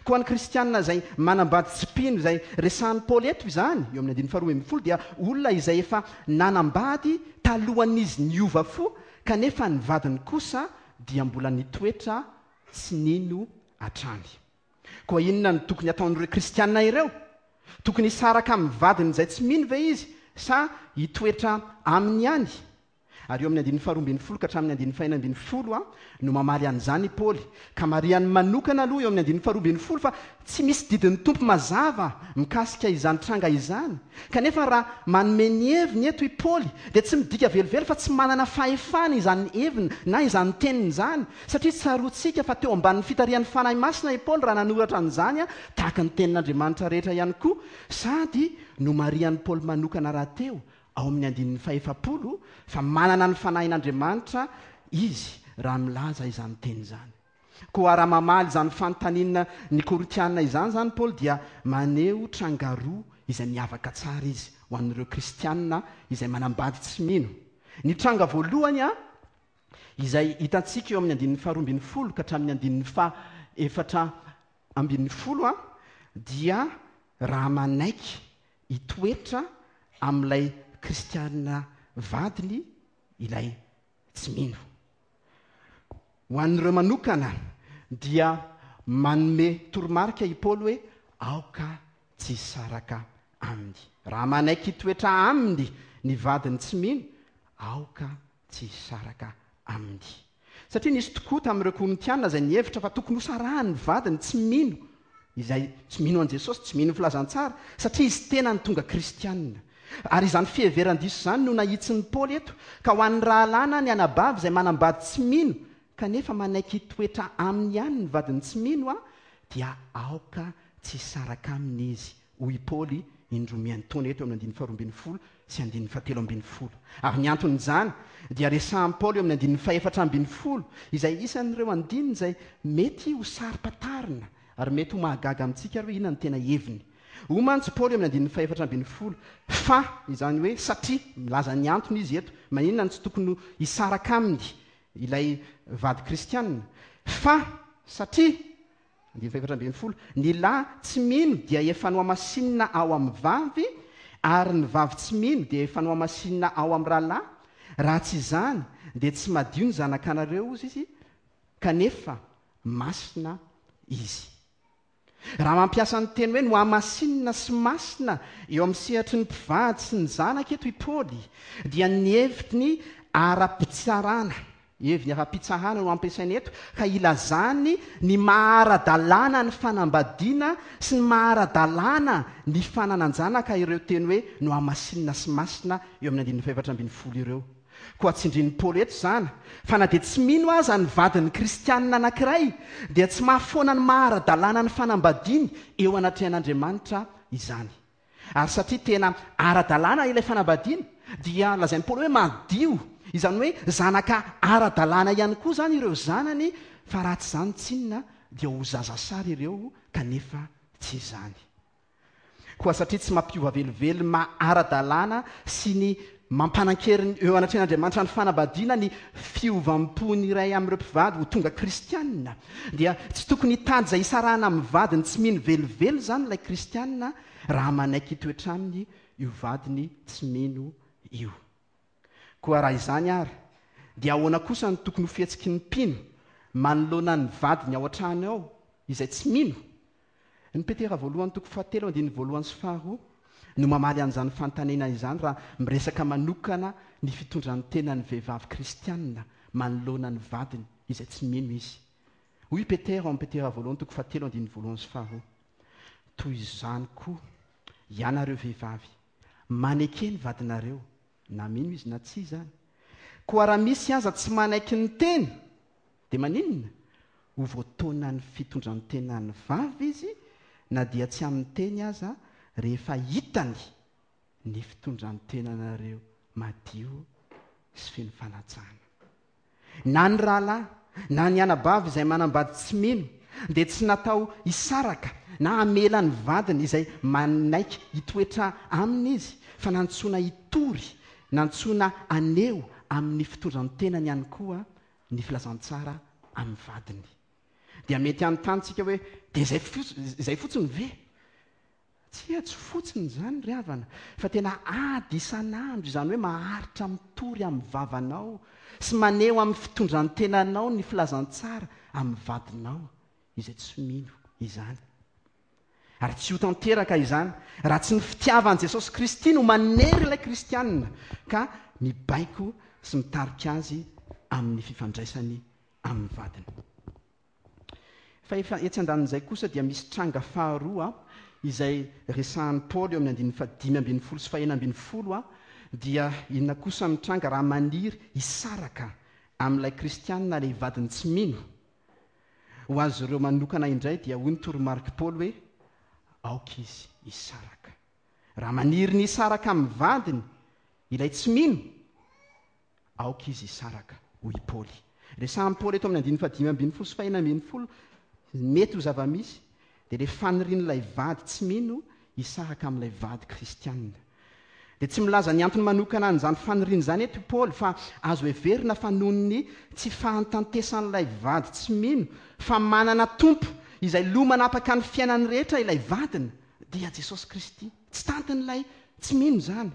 Koa ny kristiana izay manambady tsy mpino izay resahan'i Paoly eto izany, eo amin'ny andininy faharoa ambin'ny folo, dia olona izay efa nanambady talohan'izy niova fo, kanefa ny vadiny kosa dia mbola nitoetra tsy nino hatrany. Koa inona no tokony hataon'ireo kristiana ireo? Tokony hisaraka amin'ny vadiny izay tsy mino ve izy sa hitoetra aminy ihany? Ary eo amin'ny andininy faharoa ambin'ny folo ka hatramin'ny andininy fahenina ambin'ny folo no mamaly an'izany i Paoly. Ka marihany manokana aloha eo amin'ny andininy faharoa ambin'ny folo fa tsy misy didin'ny Tompo mazava mikasika izany tranga izany. Kanefa raha manome ny heviny eto i Paoly dia tsy midika velively fa tsy manana fahefana izany heviny na izany teniny izany, satria tsaroantsika fa teo ambanin'ny fitarihan'ny Fanahy Masina i Paoly raha nanoratra an'izany tahaka ny tenin'Andriamanitra rehetra ihany koa, sady nomarihan'i Paoly manokana rahateo ao amin'ny andininy fahefapolo fa manana ny Fanahin'Andriamanitra izy raha milaza izany teny izany. Koa raha mamaly izany fanontaniana ny Korintiana izany izany Paoly dia maneho tranga roa izay miavaka tsara izy ho an'ireo kristiana izay manambady tsy mino. Ny tranga voalohany izay hitantsika eo amin'ny andininy faharoa ambin'ny folo ka hatramin'ny andininy faha-14 dia raha manaiky hitoetra amin'ilay kristiana vadiny ilay tsy mino. Ho an'ireo manokana dia manome toromarika i Paoly hoe aoka tsy hisaraka aminy. Raha manaiky hitoetra aminy ny vadiny tsy mino, aoka tsy hisaraka aminy. Satria nisy tokoa tamin'ireo Korintiana izay nihevitra fa tokony hosarahany ny vadiny tsy mino, izay tsy mino an'i Jesosy, tsy mino ny filazantsara, satria izy tenany tonga kristiana. Ary izany fiheveran-diso izany no nahitsin'i Paoly eto, ka ho an'ny rahalahy na ny anabavy izay manambady tsy mino, kanefa manaiky hitoetra aminy ihany ny vadiny tsy mino, dia aoka tsy hisaraka aminy izy, hoy i Paoly indroa miantaona eto amin'ny andininy faharoa ambin'ny folo sy andininy fahatelo ambin'ny folo. Ary ny anton'izany dia resahin'i Paoly eo amin'ny andininy fahefatra ambin'ny folo, izay isan'ireo andininy izay mety ho saro-pantarina ary mety ho mahagaga amintsika ary hoe inona no tena heviny. Hoy mantsy Paoly eo amin'ny andininy fahefatra ambin'ny folo, Fa, izany hoe satria, milaza ny antony izy eto, maninona no tsy tokony hisaraka aminy ilay vady kristiana, fa, satria, Andininy fahefatra ambin'ny folo, Ny lahy tsy mino dia efa nohamasinina ao amin'ny vavy, ary ny vavy tsy mino dia efa nohamasinina ao amin'ny rahalahy, raha tsy izany dia tsy madio ny zanakanareo, hozy izy, kanefa masina izy. Raha mampiasa ny teny hoe nohamasinina sy masina eo amin'ny sehatry ny mpivady sy ny zanaka eto i Paoly, dia ny heviny ara-pitsarana Heviny ara-pitsarana no ampiasaina eto ka ilazany ny maha ara-dalàna ny fanambadiana sy ny maha ara-dalàna ny fananan-janaka ireo teny hoe nohamasinina sy masina eo amin'ny andininy fahefatra ambin'ny folo ireo. Koa tsindrin'i Paoly eto izany fa na dia tsy mino aza ny vadin'ny kristianina anankiray dia tsy mahafoana ny maha ara-dalàna ny fanambadiany eo anatrehan'Andriamanitra izany. Ary satria tena ara-dalàna ilay fanambadiana, dia lazain'i Paoly hoe madio, izany hoe zanaka ara-dalàna ihany koa izany ireo zanany, fa raha tsy izany tsinona dia ho zazasary ireo kanefa tsy izany. Koa satria tsy mampiova velively ny maha ara-dalàna sy ny mampanan-kery eo anatrehan'Andriamanitra ny fanambadiana ny fiovam-pon'ny iray amin'ireo mpivady ho tonga kristiana, dia tsy tokony hitady izay hisarahana amin'ny vadiny tsy mino velively izany ilay kristiana raha manaiky hitoetra aminy io vadiny tsy mino io. Koa raha izany àry, dia ahoana kosa no tokony ho fihetsiky ny mpino manoloana ny vadiny ao an-trano ao izay tsy mino? Ny Petera voalohany toko fahatelo andininy voalohany sy faharoa no mamaly an'izany fanontaniana izany raha miresaka manokana ny fitondran-tenan'ny vehivavy kristiana manoloana ny vadiny izay tsy mino izy. Hoy i Petera ao amin'ny Petera voalohany toko fahatelo andininy voalohany sy faharoa, Toy izany koa, ianareo vehivavy, maneke ny vadinareo, na mino izy na tsia izany. Koa raha misy aza tsy manaiky ny teny, Dia maninona? Ho voataonan'ny fitondran-tenan'ny vavy izy na dia tsy amin'ny teny aza rehefa hitany ny fitondran-tenanareo madio sy feno fanajana. Na ny rahalahy na ny anabavy izay manambady tsy mino dia tsy natao hisaraka na hamela ny vadiny izay manaiky hitoetra aminy izy fa nantsoina hitory, nantsoina haneho amin'ny fitondran-tenany ihany koa ny filazantsara amin'ny vadiny. Dia mety hanontany tsika hoe, dia izay izay fotsiny ve? Tsia, tsy fotsiny izany ry havana, fa tena ady isan'andro, izany hoe maharitra mitory amin'ny vavanao sy maneho amin'ny fitondran-tenanao ny filazantsara amin'ny vadinao izay tsy mino izany. Ary tsy ho tanteraka izany raha tsy ny fitiavan'i Jesosy Kristy no manery ilay kristiana ka mibaiko sy mitarika azy amin'ny fifandraisany amin'ny vadiny. Fa efa etsy andanin'izay kosa dia misy tranga faharoa izay resahan'i Paoly eo amin'ny andininy fahadimy ambinifolo sy fahenina ambinifolo dia inona kosa no tranga raha maniry hisaraka amin'ilay kristiana ilay vadiny tsy mino? Ho azy ireo manokana indray dia hoy ny toromarik'i Paoly hoe, Aoka izy hisaraka. Raha maniry ny hisaraka amin'ny vadiny ilay tsy mino, aoka izy hisaraka, hoy i Paoly. Resahin'i Paoly eto amin'ny andininy fahadimy ambinifolo sy fahenina ambinifolo ny mety ho zava-misy, dia ilay fanirian'ilay vady tsy mino hisaraka amin'ilay vady kristianina. Dia tsy milaza ny antony manokana an'izany faniriana izany eto i Paoly, fa azo heverina fa noho ny tsy fahantantesan'ilay vady tsy mino fa manana Tompo izay loha manapaka ny fiainany rehetra ilay vadiny, dia Jesosy Kristy. Tsy tantin'ilay tsy mino izany.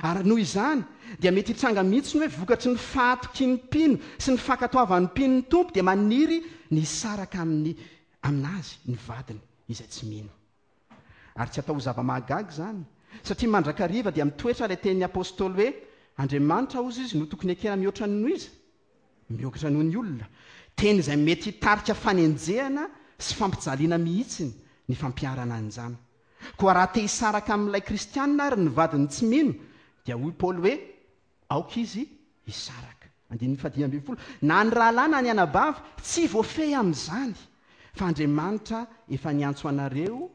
Ary noho izany, dia mety hitranga mihitsy ny hoe vokatry ny fahatokian'ny mpino sy ny fankatoavan'ny mpino ny Tompo dia maniry ny hisaraka amin'ny aminazy ny vadiny izay tsy mino. Ary tsy atao ho zava-mahagaga izany, satria mandrakariva dia mitoetra ilay tenin'ny Apostoly hoe, Andriamanitra, hozy izy, no tokony ekena mihoatra noho iza? Mihoatra noho ny olona. Teny izay mety hitarika fanenjehana sy fampijaliana mihitsy ny fampiharana an'izany. Koa raha te hisaraka amin'ilay kristiana àry ny vadiny tsy mino, dia hoy Paoly hoe, Aoka izy hisaraka. Andininy fahadimy ambinifolo, Na ny rahalahy na ny anabavy tsy voafehy amin'izany, fa Andriamanitra efa niantso anareo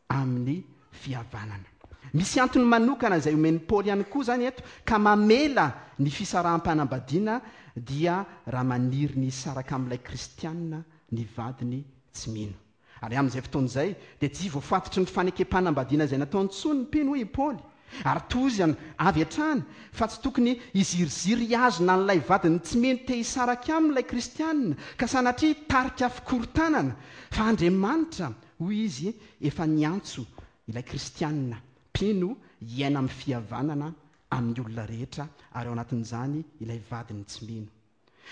amin'ny fihavanana. Misy antony manokana izay omen'i Paoly ihany koa izany eto ka mamela ny fisaraham-panambadiana dia raha maniry ny hisaraka amin'ilay kristiana ny vadiny tsy mino. Ary amin'izay fotoana izay, dia tsy voafatotry ny fanekem-panambadiana izay nataony intsony ny mpino, hoy i Paoly. Ary tohizany avy hatrany fa tsy tokony hiziriziry hihazona an'ilay vadiny tsy mino te hisaraka aminy ilay Kristianina, ka sanatria hitarika fikorontanana, fa Andriamanitra, hoy izy, efa niantso ilay Kristianina mpino hiaina amin'ny fihavanana amin'ny olona rehetra, ary ao anatin'izany ilay vadiny tsy mino.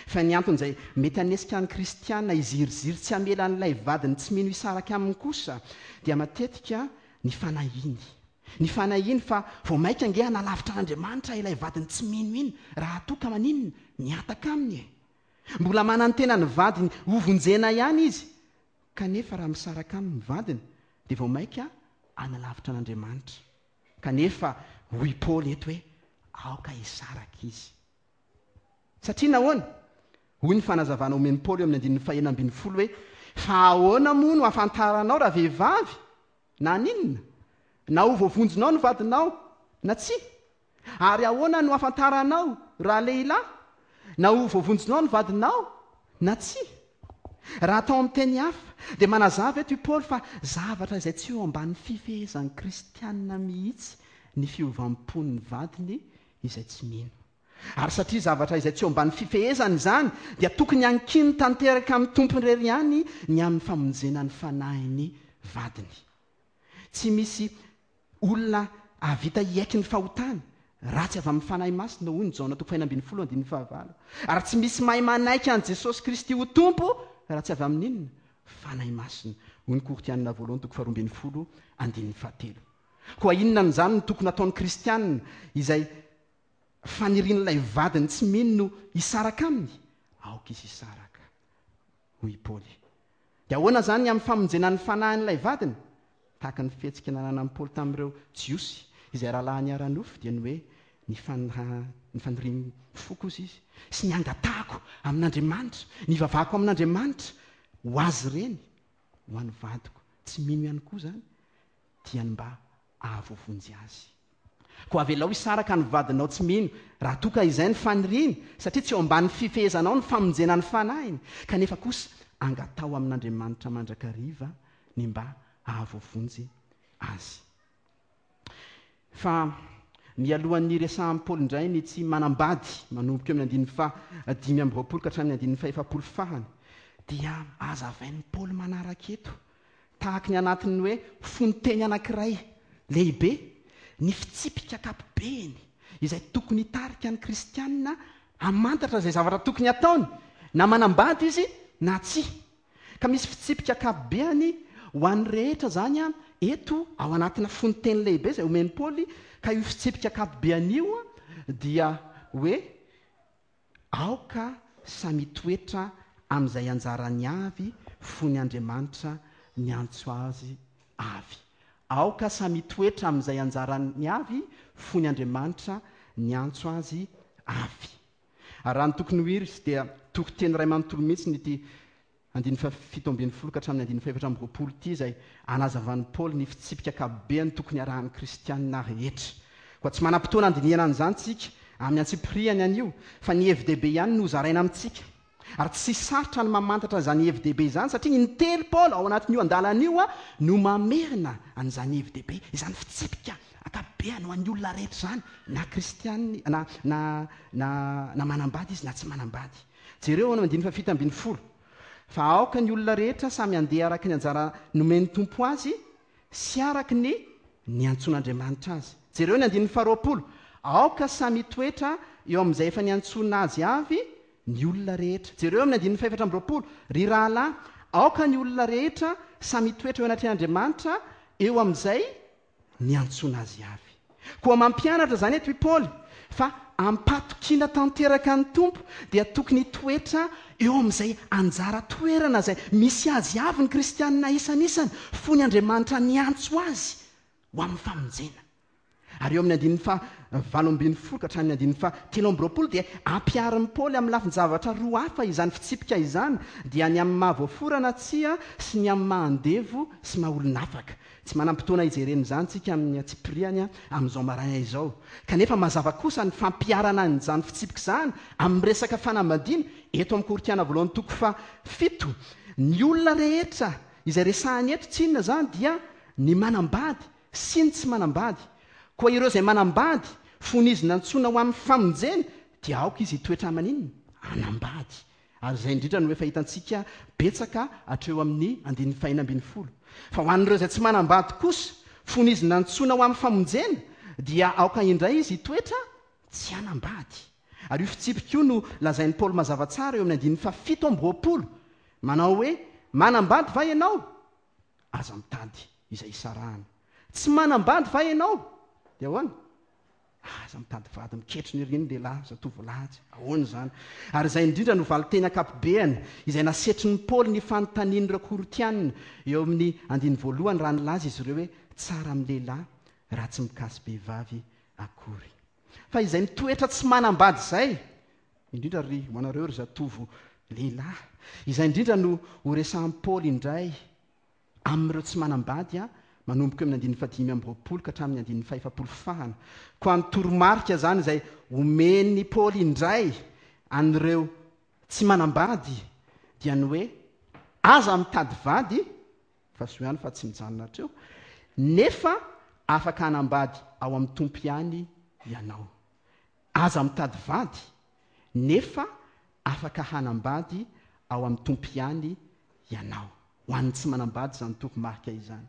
Fa ny antony izay mety hanesika ny kristiana hiziriziry tsy hamela an'ilay vadiny tsy mino hisaraka aminy kosa dia matetika ny fanahiany. Ny fanahiany fa vao mainka ange hanalavitra an'Andriamanitra ilay vadiny tsy mino iny raha toa ka maninona? Mihataka aminy e! Mbola manantena ny vadiny hovonjena ihany izy kanefa raha misaraka aminy ny vadiny dia vao mainka hanalavitra an'Andriamanitra. Kanefa hoy Paoly eto hoe aoka hisaraka izy. Satria nahoana? Hoy ny fanazavana omen'i Paoly eo amin'ny andininy fahenina ambinifolo hoe, Fa ahoana moa no hahafantaranao ravehivavy na haninona, na ho voavonjinao ny vadinao na tsia? Ary ahoana no hahafantaranao ralehilahy, na ho voavonjinao ny vadinao na tsia? Raha atao amin'ny teny hafa, dia manazava eto i Paoly fa zavatra izay tsy eo ambany fifehezan'ny kristiana mihitsy ny fiovam-pon'ny vadiny izay tsy mino. Ary satria zavatra izay tsy eo ambany fifehezany izany, dia tokony hankiny tanteraka amin'ny Tompo irery ihany ny amin'ny famonjena ny fanahin'ny vadiny. Tsy misy olona hahavita hiaiky ny fahotany, raha tsy avy amin'ny Fanahy Masina, hoy ny Jaona toko fahenina ambinifolo andininy fahavalo. Ary tsy misy mahay manaiky an'i Jesosy Kristy ho Tompo, raha tsy avy amin'ny inona? Fanahy Masina, hoy ny Korintianina voalohany toko faharoa ambinifolo andininy fahatelo. Koa inona amin'izany no tokony hataon'ny kristiana izay fanirian'ilay vadiny tsy mino no hisaraka aminy? Aoka izy hisaraka, hoy i Paoly. Dia ahoana izany ny amin'ny famonjena ny fanahin'ilay vadiny? Tahaka ny fihetsika nananan'i Paoly tamin'ireo Jiosy izay rahalahiny ara-nofo, dia ny hoe ny ny fanirian'ny foko, hozy izy, sy ny hangatahako amin'Andriamanitra, ny hivavahako amin'Andriamanitra ho azy ireny, ho an'ny vadiko tsy mino ihany koa izany, dia ny mba hahavoavonjy azy. Koa avelao hisaraka ny vadinao tsy mino, raha toa ka izay ny faniriany, satria tsy eo ambany fifehezanao ny famonjena ny fanahiny, kanefa kosa angataho amin'Andriamanitra mandrakariva ny mba hahavoavonjy azy. Fa mialohan'ny hiresahan'i Paoly indray ny tsy manambady, manomboka eo amin'ny andininy faha 25 ka hatramin'ny andininy faha 40 farany, dia hazavain'i Paoly manaraka eto Tahaky ny anatin'ny hoe fononteny anankiray lehibe, ny fitsipika ankapobeny izay tokony hitarika ny kristiana hamantatra izay zavatra tokony hataony, na manambady izy na tsia. Ka misy fitsipika ankapobeany ho an'ny rehetra izany eto ao anatina fononteny lehibe izay omen'i Paoly, ka io fitsipika ankapobeany io dia hoe. Aoka samy hitoetra amin'izay anjarany avy fony Andriamanitra niantso azy avy. Aoka samy hitoetra amin'izay anjarany avy fony Andriamanitra niantso azy avy. Ary raha ny tokony ho izy dia toriteny iray manontolo mihitsy ity andininy faha-17 ka hatramin'ny andininy faha-24 ity izay anazavan'i Paoly ny fitsipika ankapobeny tokony harahan'ny kristiana rehetra. Koa tsy manam-potoana handinihana an'izany isika amin'ny antsipiriany anio, fa ny hevi-dehibe ihany no hozaraina amintsika. Ary tsy sarotra ny mamantatra izany hevi-dehibe izany satria intelo Paoly ao anatin'io andalana io no mamerina an'izany hevi-dehibe, izany fitsipika ankapobeny ho an'ny olona rehetra izany, na kristiana na na na na manambady izy na tsy manambady. Jereo ao amin'ny andininy faha-17, Fa aoka ny olona rehetra samy handeha araka ny anjara nomen'ny Tompo azy sy araka ny niantsoan'Andriamanitra azy. Jereo ny andininy faha-20, Aoka samy hitoetra eo amin'izay efa niantsoana azy avy ny olona rehetra. Jereo amin'ny andininy faha-24, Ry rahalahy, aoka ny olona rehetra samy hitoetra eo anatrehan'Andriamanitra eo amin'izay niantsoana azy avy. Koa mampianatra izany eto i Paoly fa am-pahatokiana tanteraka ny Tompo dia tokony hitoetra eo amin'izay anjara toerana izay misy azy avy ny kristianina isan'isany fony Andriamanitra niantso azy ho amin'ny famonjena. Ary eo amin'ny andininy faha 18 ka hatramin'ny andininy faha 23 dia ampiharin'i Paoly amin'ny lafin-javatra roa hafa izany fitsipika izany, dia ny amin'ny maha voafora na tsia sy ny amin'ny maha andevo sy maha olon'afaka. Tsy manam-potoana hijerena izany isika amin'ny antsipiriany amin'izao maraina izao. Kanefa mazava kosa ny fampiharana an'izany fitsipika izany amin'ny resaka fanambadiana eto amin'ny Korintiana voalohany toko fahafito. Ny olona rehetra izay resahiny eto tsy inona izany dia ny manambady sy ny tsy manambady. Koa ireo izay manambady, fony izy nantsoina ho amin'ny famonjena, dia aoka izy hitoetra maninona? Hanambady. Ary izay indrindra no efa hitantsika betsaka hatreo amin'ny andininy fahenina ambin'ny folo. Fa ho an'ireo izay tsy manambady kosa, fony izy nantsoina ho amin'ny famonjena, dia aoka indray izy hitoetra tsy hanambady. Ary io fitsipika io no lazain'i Paoly mazava tsara eo amin'ny andininy fahafito amby roapolo, manao hoe, Manambady va ianao? Aza mitady izay hisarahana. Tsy manambady va ianao? Dia ahoana? Aza mitady vady miketrona ery ny lehilahy, zatovolahy tsy. Ahoana izany? Ary izay indrindra no valinteny ankapobeany izay nasetrin'i Paoly ny fanontanian'ireo Korintiana eo amin'ny andininy voalohany raha nilaza izy ireo hoe tsara amin'ny lehilahy raha tsy mikasi-behivavy akory. Fa izay mitoetra tsy manambady izay, indrindra ry ho anareo ry zatovo lehilahy, izay indrindra no horesahan'i Paoly indray Amin'ireo tsy manambady, manomboka eo amin'ny andininy fahadimy amby roapolo ka hatramin'ny andininy fahefapolo fahana. Koa ny toromarika izany izay omen'i Paoly indray an'ireo tsy manambady dia ny hoe aza mitady vady, fa soa ihany fa tsy mijanona hatreo, nefa afaka hanambady ao amin'ny Tompo ihany ianao. Aza mitady vady, nefa afaka hanambady ao amin'ny Tompo ihany ianao. Ho an'ny tsy manambady izany toromarika izany.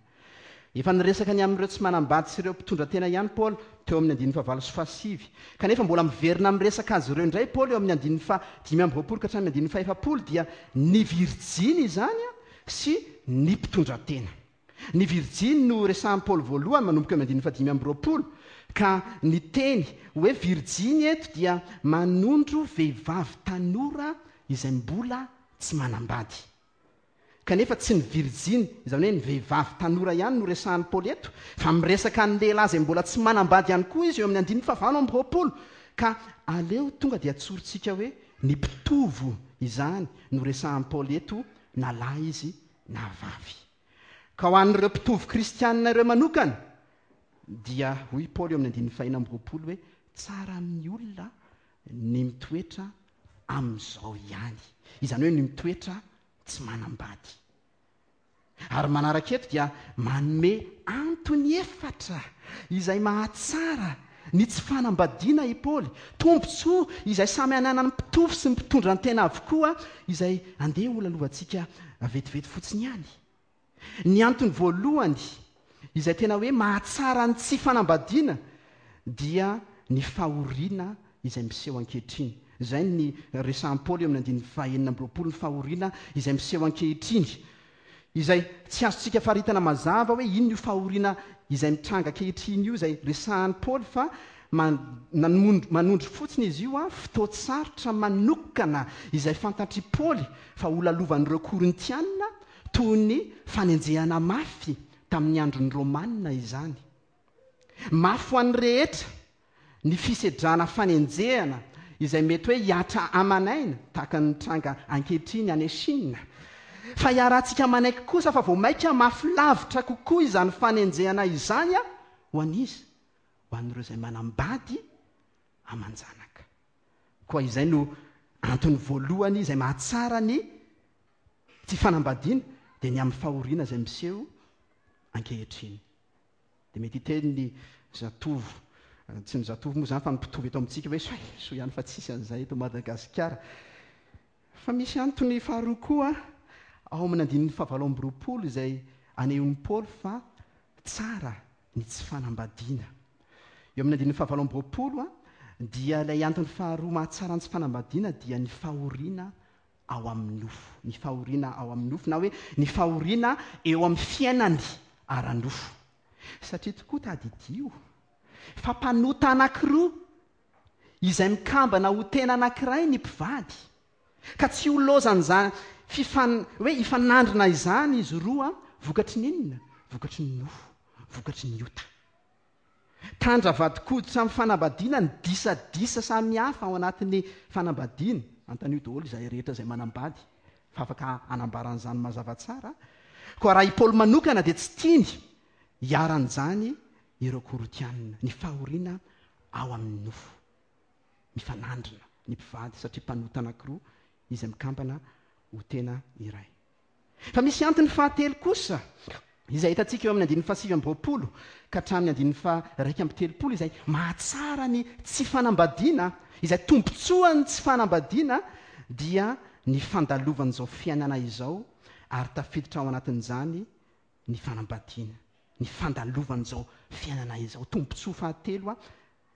Efa niresaka ny amin'ireo tsy manambady sy ireo mpitondra tena ihany Paoly teo amin'ny andininy fahavalo sy fahasivy. Kanefa mbola miverina miresaka azy ireo indray Paoly eo amin'ny andininy faha-25 ka hatramin'ny andininy fahefapolo dia ny virjiny izany sy ny mpitondra tena. Ny virjiny no resahin'i Paoly voalohany manomboka eo amin'ny andininy fahadimy amby roapolo, ka ny teny hoe virjiny eto dia manondro vehivavy tanora izay mbola tsy manambady. Kanefa tsy ny virjiny, izany hoe ny vehivavy tanora ihany no resahin'i Paoly eto, fa miresaka ny lehilahy izay mbola tsy manambady ihany koa izy eo amin'ny andininy fahavalo amby roapolo. Ka aleo tonga dia tsorintsika hoe ny mpitovo izany no resahin'i Paoly eto na lahy izy na vavy. Ka ho an'ireo mpitovo kristianina ireo manokana, dia hoy i Paoly eo amin'ny andininy fahenina amby roapolo hoe, Tsara amin'ny olona ny mitoetra amin'izao ihany. Izany hoe ny mitoetra tsy manambady. Ary manaraka eto dia manome antony efatra izay mahatsara Ny tsy fanambadiana i Paoly, tombontsoa izay samy ananan'ny mpitovo sy ny mpitondra ny tena avokoa, izay andeha holalovantsika vetivety fotsiny ihany. Ny antony voalohany izay tena hoe mahatsara ny tsy fanambadiana dia ny fahoriana izay miseho ankehitriny. Izay ny resahan'i Paoly eo amin'ny andininy fahenina amby roapolo, ny fahoriana izay miseho ankehitriny. Izay tsy azontsika faritana mazava hoe inona io fahoriana izay mitranga ankehitriny io izay resahan'i Paoly fa Manondro fotsiny izy io fotoan-tsarotra manokana izay fantatr'i Paoly fa holalovan'ireo Korintiana toy ny fanenjehana mafy tamin'ny andron'ny Romana izany. Mafy ho an'ny rehetra ny fisedrana fanenjehana izay mety hoe hihatra aman'aina tahaka ny mitranga ankehitriny any Chine. Fa iarahantsika manaiky kosa fa vao mainka mafy lavitra kokoa izany fanenjehana izany ho an'iza? Ho an'ireo izay manambady aman-janaka. Koa izay no antony voalohany izay mahatsara ny tsy fanambadiana dia ny amin'ny fahoriana izay miseho ankehitriny. Dia mety hiteny ny zatovo, tsy ny zatovo moa izany fa ny mpitovo eto amintsika hoe soa e, soa ihany fa tsisy an'izay eto Madagasikara. Fa misy antony faharoa koa ao amin'ny andininy fahavalo amby 20 izay anehoan'i Paoly fa tsara ny tsy fanambadiana. Eo amin'ny andininy fahavalo amby 20 dia ilay antony faharoa mahatsara ny tsy fanambadiana dia ny fahoriana ao amin'ny nofo. Ny fahoriana ao amin'ny nofo na hoe ny fahoriana eo amin'ny fiainany ara-nofo. Satria tokoa tadidio fa mpanota anankiroa izay mikambana ho tena anankiray ny mpivady. Ka tsy ho lozan'izany fifan hoe hifanandrina izany izy roa vokatry ny inona? Vokatry ny nofo, vokatry ny ota. Tandra vadin-koditra amin'ny fanambadiana ny disadisa samihafa ao anatin'ny fanambadiana. Anontanio daholo izahay rehetra izay manambady fa afaka hanambara an'izany mazava tsara. Koa raha i Paoly manokana dia tsy tiany hiharan'izany ireo Korintiana, ny fahoriana ao amin'ny nofo. Mifanandrina ny mpivady satria mpanota anankiroa izay mikambana ho tena iray. Fa misy antony fahatelo kosa izay hitantsika eo amin'ny andininy fahasivy amby 20 ka hatramin'ny andininy faha-31 izay mahatsara ny tsy fanambadiana, izay tombontsoan'ny tsy fanambadiana dia ny fandalovan'izao fiainana izao ary tafiditra ao anatin'izany ny fanambadiana, ny fandalovan'izao fiainana izao. Tombontsoa fahatelo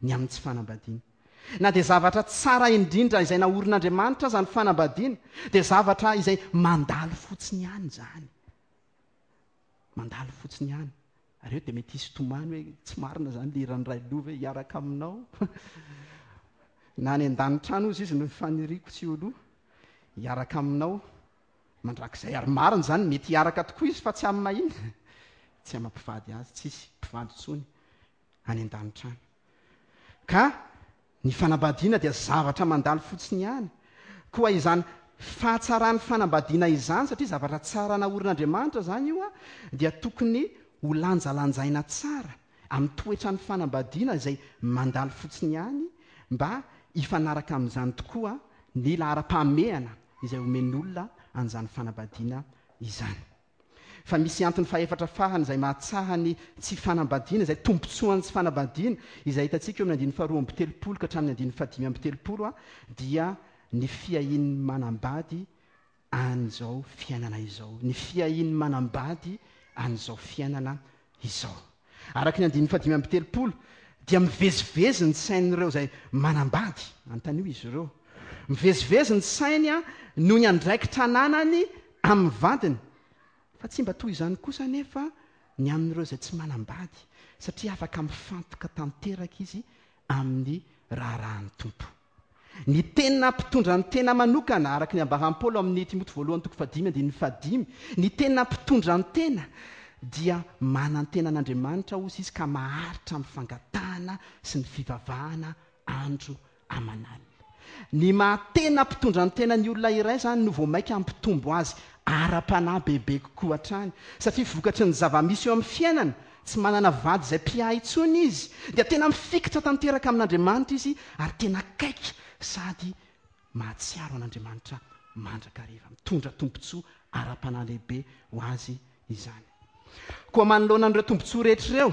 ny amin'ny tsy fanambadiana. Na dia zavatra tsara indrindra izay naorin'Andriamanitra aza ny fanambadiana, dia zavatra izay mandalo fotsiny ihany izany. Mandalo fotsiny ihany. Ary eo dia mety hisy tomany hoe tsy marina izany le hiran'i Railovy hoe hiaraka aminao. Na any an-danitra any hozy izy no faniriako tsy ho lo. Hiaraka aminao mandrakizay. Ary marina izany, mety hiaraka tokoa izy fa tsy amin'ny mahina. Tsy amin'ny mpivady azy, tsisy mpivady intsony. any an-danitra any. Ka ny fanambadiana dia zavatra mandalo fotsiny ihany. Koa izany fahatsaran'ny fanambadiana izany, satria zavatra tsara naorin'Andriamanitra izany io, dia tokony ho lanjalanjaina tsara amin'ny toetran'ny fanambadiana izay mandalo fotsiny ihany mba hifanaraka amin'izany tokoa ny laharam-pahamehana izay omen'olona an'izany fanambadiana izany. Fa misy antony fahefatra farany izay mahatsaha ny tsy fanambadiana, izay tombontsoan'ny tsy fanambadiana, izay hitantsika eo amin'ny andininy faharoa amby 30 ka hatramin'ny andininy fahadimy amby 30, dia ny fiahian'ny manambady an'izao fiainana izao. Ny fiahian'ny manambady an'izao fiainana izao. Araka ny andininy fahadimy amby 30, dia mivezivezy ny sain'ireo izay manambady. Anontanio izy ireo. Mivezivezy ny sainy noho ny andraikitra ananany amin'ny vadiny. Fa tsy mba toy izany kosa anefa ny amin'ireo izay tsy manambady, satria afaka mifantoka tanteraka izy amin'ny raharahan'ny Tompo. Ny tena mpitondra ny tena manokana, araka ny ambaran'i Paoly ao amin'ny Timoty voalohany toko fahadimy andininy fahadimy, ny tena mpitondra ny tena dia manantena an'Andriamanitra hozy izy ka maharitra amin'ny fangatahana sy ny fivavahana andro aman'alina. Ny maha tena mpitondra ny tena ny olona iray izany no vao mainka hampitombo azy ara-panahy bebe kokoa hatrany, satria vokatry ny zava-misy eo amin'ny fiainana, tsy manana vady izay mpiahy intsony izy, dia tena mifikitra tanteraka amin'Andriamanitra izy ary tena akaiky sady mahatsiaro an'Andriamanitra mandrakariva. Mitondra tombontsoa ara-panahy lehibe ho azy izany. Koa manoloana an'ireo tombontsoa rehetra ireo,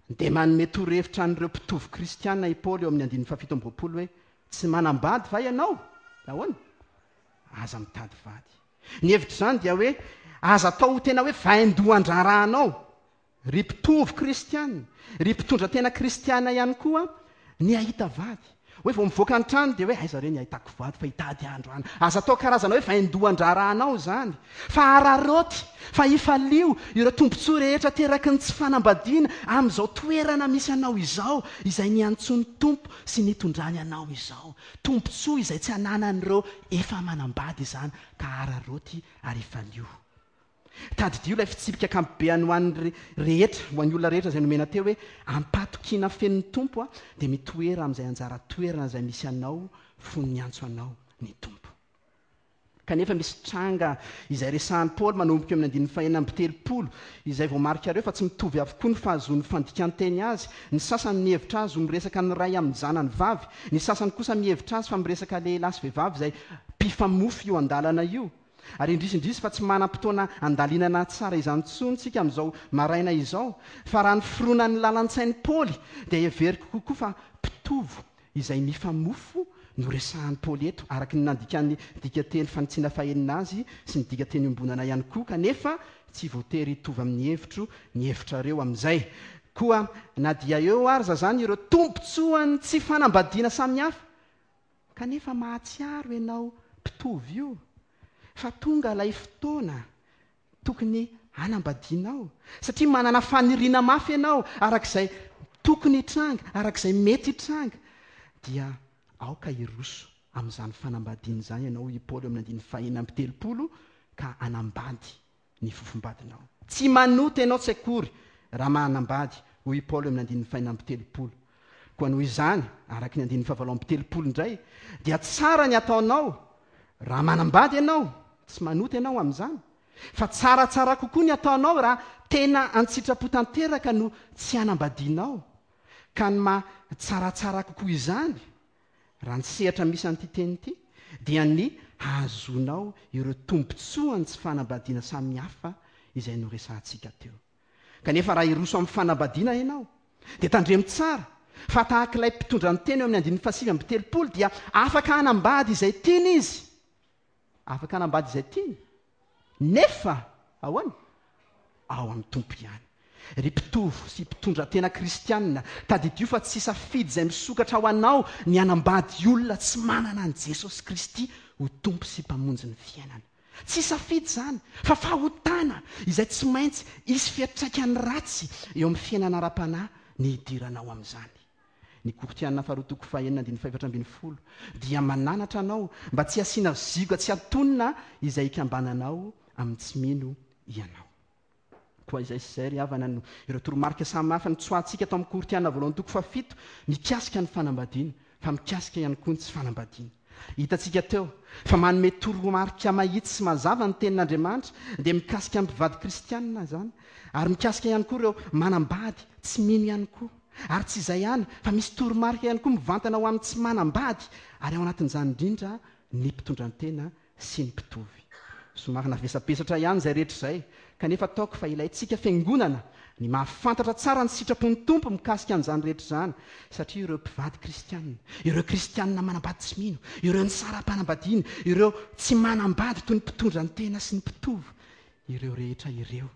Dia manome torohevitra an'ireo mpitovo kristiana i Paoly eo amin'ny andininy fahafito amby 20 hoe, Tsy manambady va ianao? Nahoana? Aza mitady vady. Ny hevitr'izany dia hoe, aza atao ho tena hoe vaindohan-draharahanao, ry mpitovo kristiana, ry mpitondra tena kristiana ihany koa, ny hahita vady. Hoe vao mivoaka ny trano dia hoe aiza re ny ahitako vady fa hitady andro any. Aza atao karazana hoe vaindohan-draharahanao izany. Fa araraoty, fa ifalio ireo tombontsoa rehetra ateraky ny tsy fanambadiana amin'izao toerana misy anao izao, izay niantsoan'ny Tompo sy nitondrany anao izao. Tombontsoa izay tsy ananan'ireo efa manambady izany, ka araraoty ary ifalio. Tadidio ilay fitsipika ankapobeany ho an'ny rehetra, ho an'ny olona rehetra izay nomena teo hoe, Am-pahatokiana feno ny Tompo dia mitoera amin'izay anjara toerana izay misy anao fony niantso anao ny Tompo. Kanefa misy tranga izay resahan'i Paoly manomboka eo amin'ny andininy fahenina amby 30, izay voamarikareo fa tsy mitovy avokoa ny fahazoan'ny fandikan-teny azy, ny sasany mihevitra azy ho miresaka ny ray amin'ny zanany vavy, ny sasany kosa mihevitra azy fa miresaka lehilahy sy vehivavy izay mpifamofo io andalana io. Ary indrisy indrisy fa tsy manam-potoana handalinana tsara izany intsony isika amin'izao maraina izao, fa raha ny fironan'ny lalan-tsain'i Paoly dia heveriko kokoa fa mpitovo izay mifamofo no resahan'i Paoly eto, araka ny nandikan'ny dikanteny fanitsiana fahenina azy sy ny dikanteny iombonana ihany koa, kanefa tsy voatery hitovy amin'ny hevitro ny hevitrareo amin'izay. Koa na dia eo arza izany ireo tombontsoan'ny tsy fanambadiana samihafa, Kanefa mahatsiaro ianao mpitovo io fa tonga ilay fotoana tokony hanambadianao satria manana faniriana mafy ianao araka izay tokony hitranga, araka izay mety hitranga dia aoka hiroso amin'izany fanambadiana izany ianao hoy i Paoly eo amin'ny andininy fahenina amby 30 ka hanambady ny fofombadinao. Tsy manota ianao tsy akory raha manambady, hoy i Paoly eo amin'ny andininy fahenina amby 30. Koa noho izany, araka ny andininy fahavalo amby 30 indray, dia tsara ny ataonao raha manambady ianao, tsy manota ianao amin'izany, fa tsaratsara kokoa ny ataonao raha tena an-tsitrapo tanteraka no tsy hanambadianao. Ka ny maha tsaratsara kokoa izany, Raha ny sehatra misy an'ity teny ity dia ny hahazoanao ireo tombontsoan'ny tsy fanambadiana samihafa izay noresahantsika teo. Kanefa raha hiroso amin'ny fanambadiana ianao dia tandremo tsara fa tahaka ilay mpitondra ny teny eo amin'ny andininy fahasivy amby 30 dia afaka hanambady izay tiany izy. Afaka hanambady izay tiany. Nefa ahoana? Ao amin'ny Tompo ihany. Ry mpitovo sy mpitondra tena kristianina, tadidio fa tsy safidy izay misokatra ho anao ny hanambady olona tsy manana an'i Jesosy Kristy ho Tompo sy Mpamonjy ny fiainana. Tsy safidy izany, fa fahotana izay tsy maintsy hisy fiantraikany ratsy eo amin'ny fiainana ara-panahy ny hidiranao amin'izany. Ny Korintiana faharoa toko fahenina andininy fahefatra ambin'ny folo dia mananatra anao mba tsy hasiana zioga tsy antonona izay hikambananao amin'ny tsy mino ianao. Koa izay sy izay ry havana no ireo toromarika samy hafa notsoahantsika tao amin'ny Korintiana voalohany toko fahafito mikasika ny fanambadiana fa mikasika ihany koa ny tsy fanambadiana. Hitantsika teo fa manome toromarika mahitsy sy mazava ny Tenin'Andriamanitra dia mikasika ny mpivady kristiana izany ary mikasika ihany koa ireo manambady tsy mino ihany koa. Ary tsy izay ihany fa misy toromarika ihany koa mivantana ho amin'ny tsy manambady ary ao anatin'izany indrindra ny mpitondran-tena sy ny mpitovy. Somary navesabesatra ihany izay rehetra izay, kanefa ataoko fa ilaintsika fiangonana ny mahafantatra tsara ny sitrapon'ny Tompo mikasika an'izany rehetra izany, satria ireo mpivady kristiana, ireo kristiana manambady tsy mino, ireo nisara-panambadiana, ireo tsy manambady toy ny mpitondra ny tena sy ny mpitovo, ireo rehetra ireo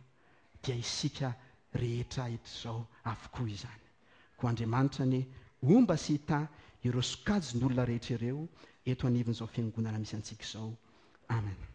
dia isika rehetra eto izao avokoa izany. Koa Andriamanitra anie homba sy hitahy ireo sokajin'olona rehetra ireo eto anivon'izao fiangonana misy antsika izao. Amen.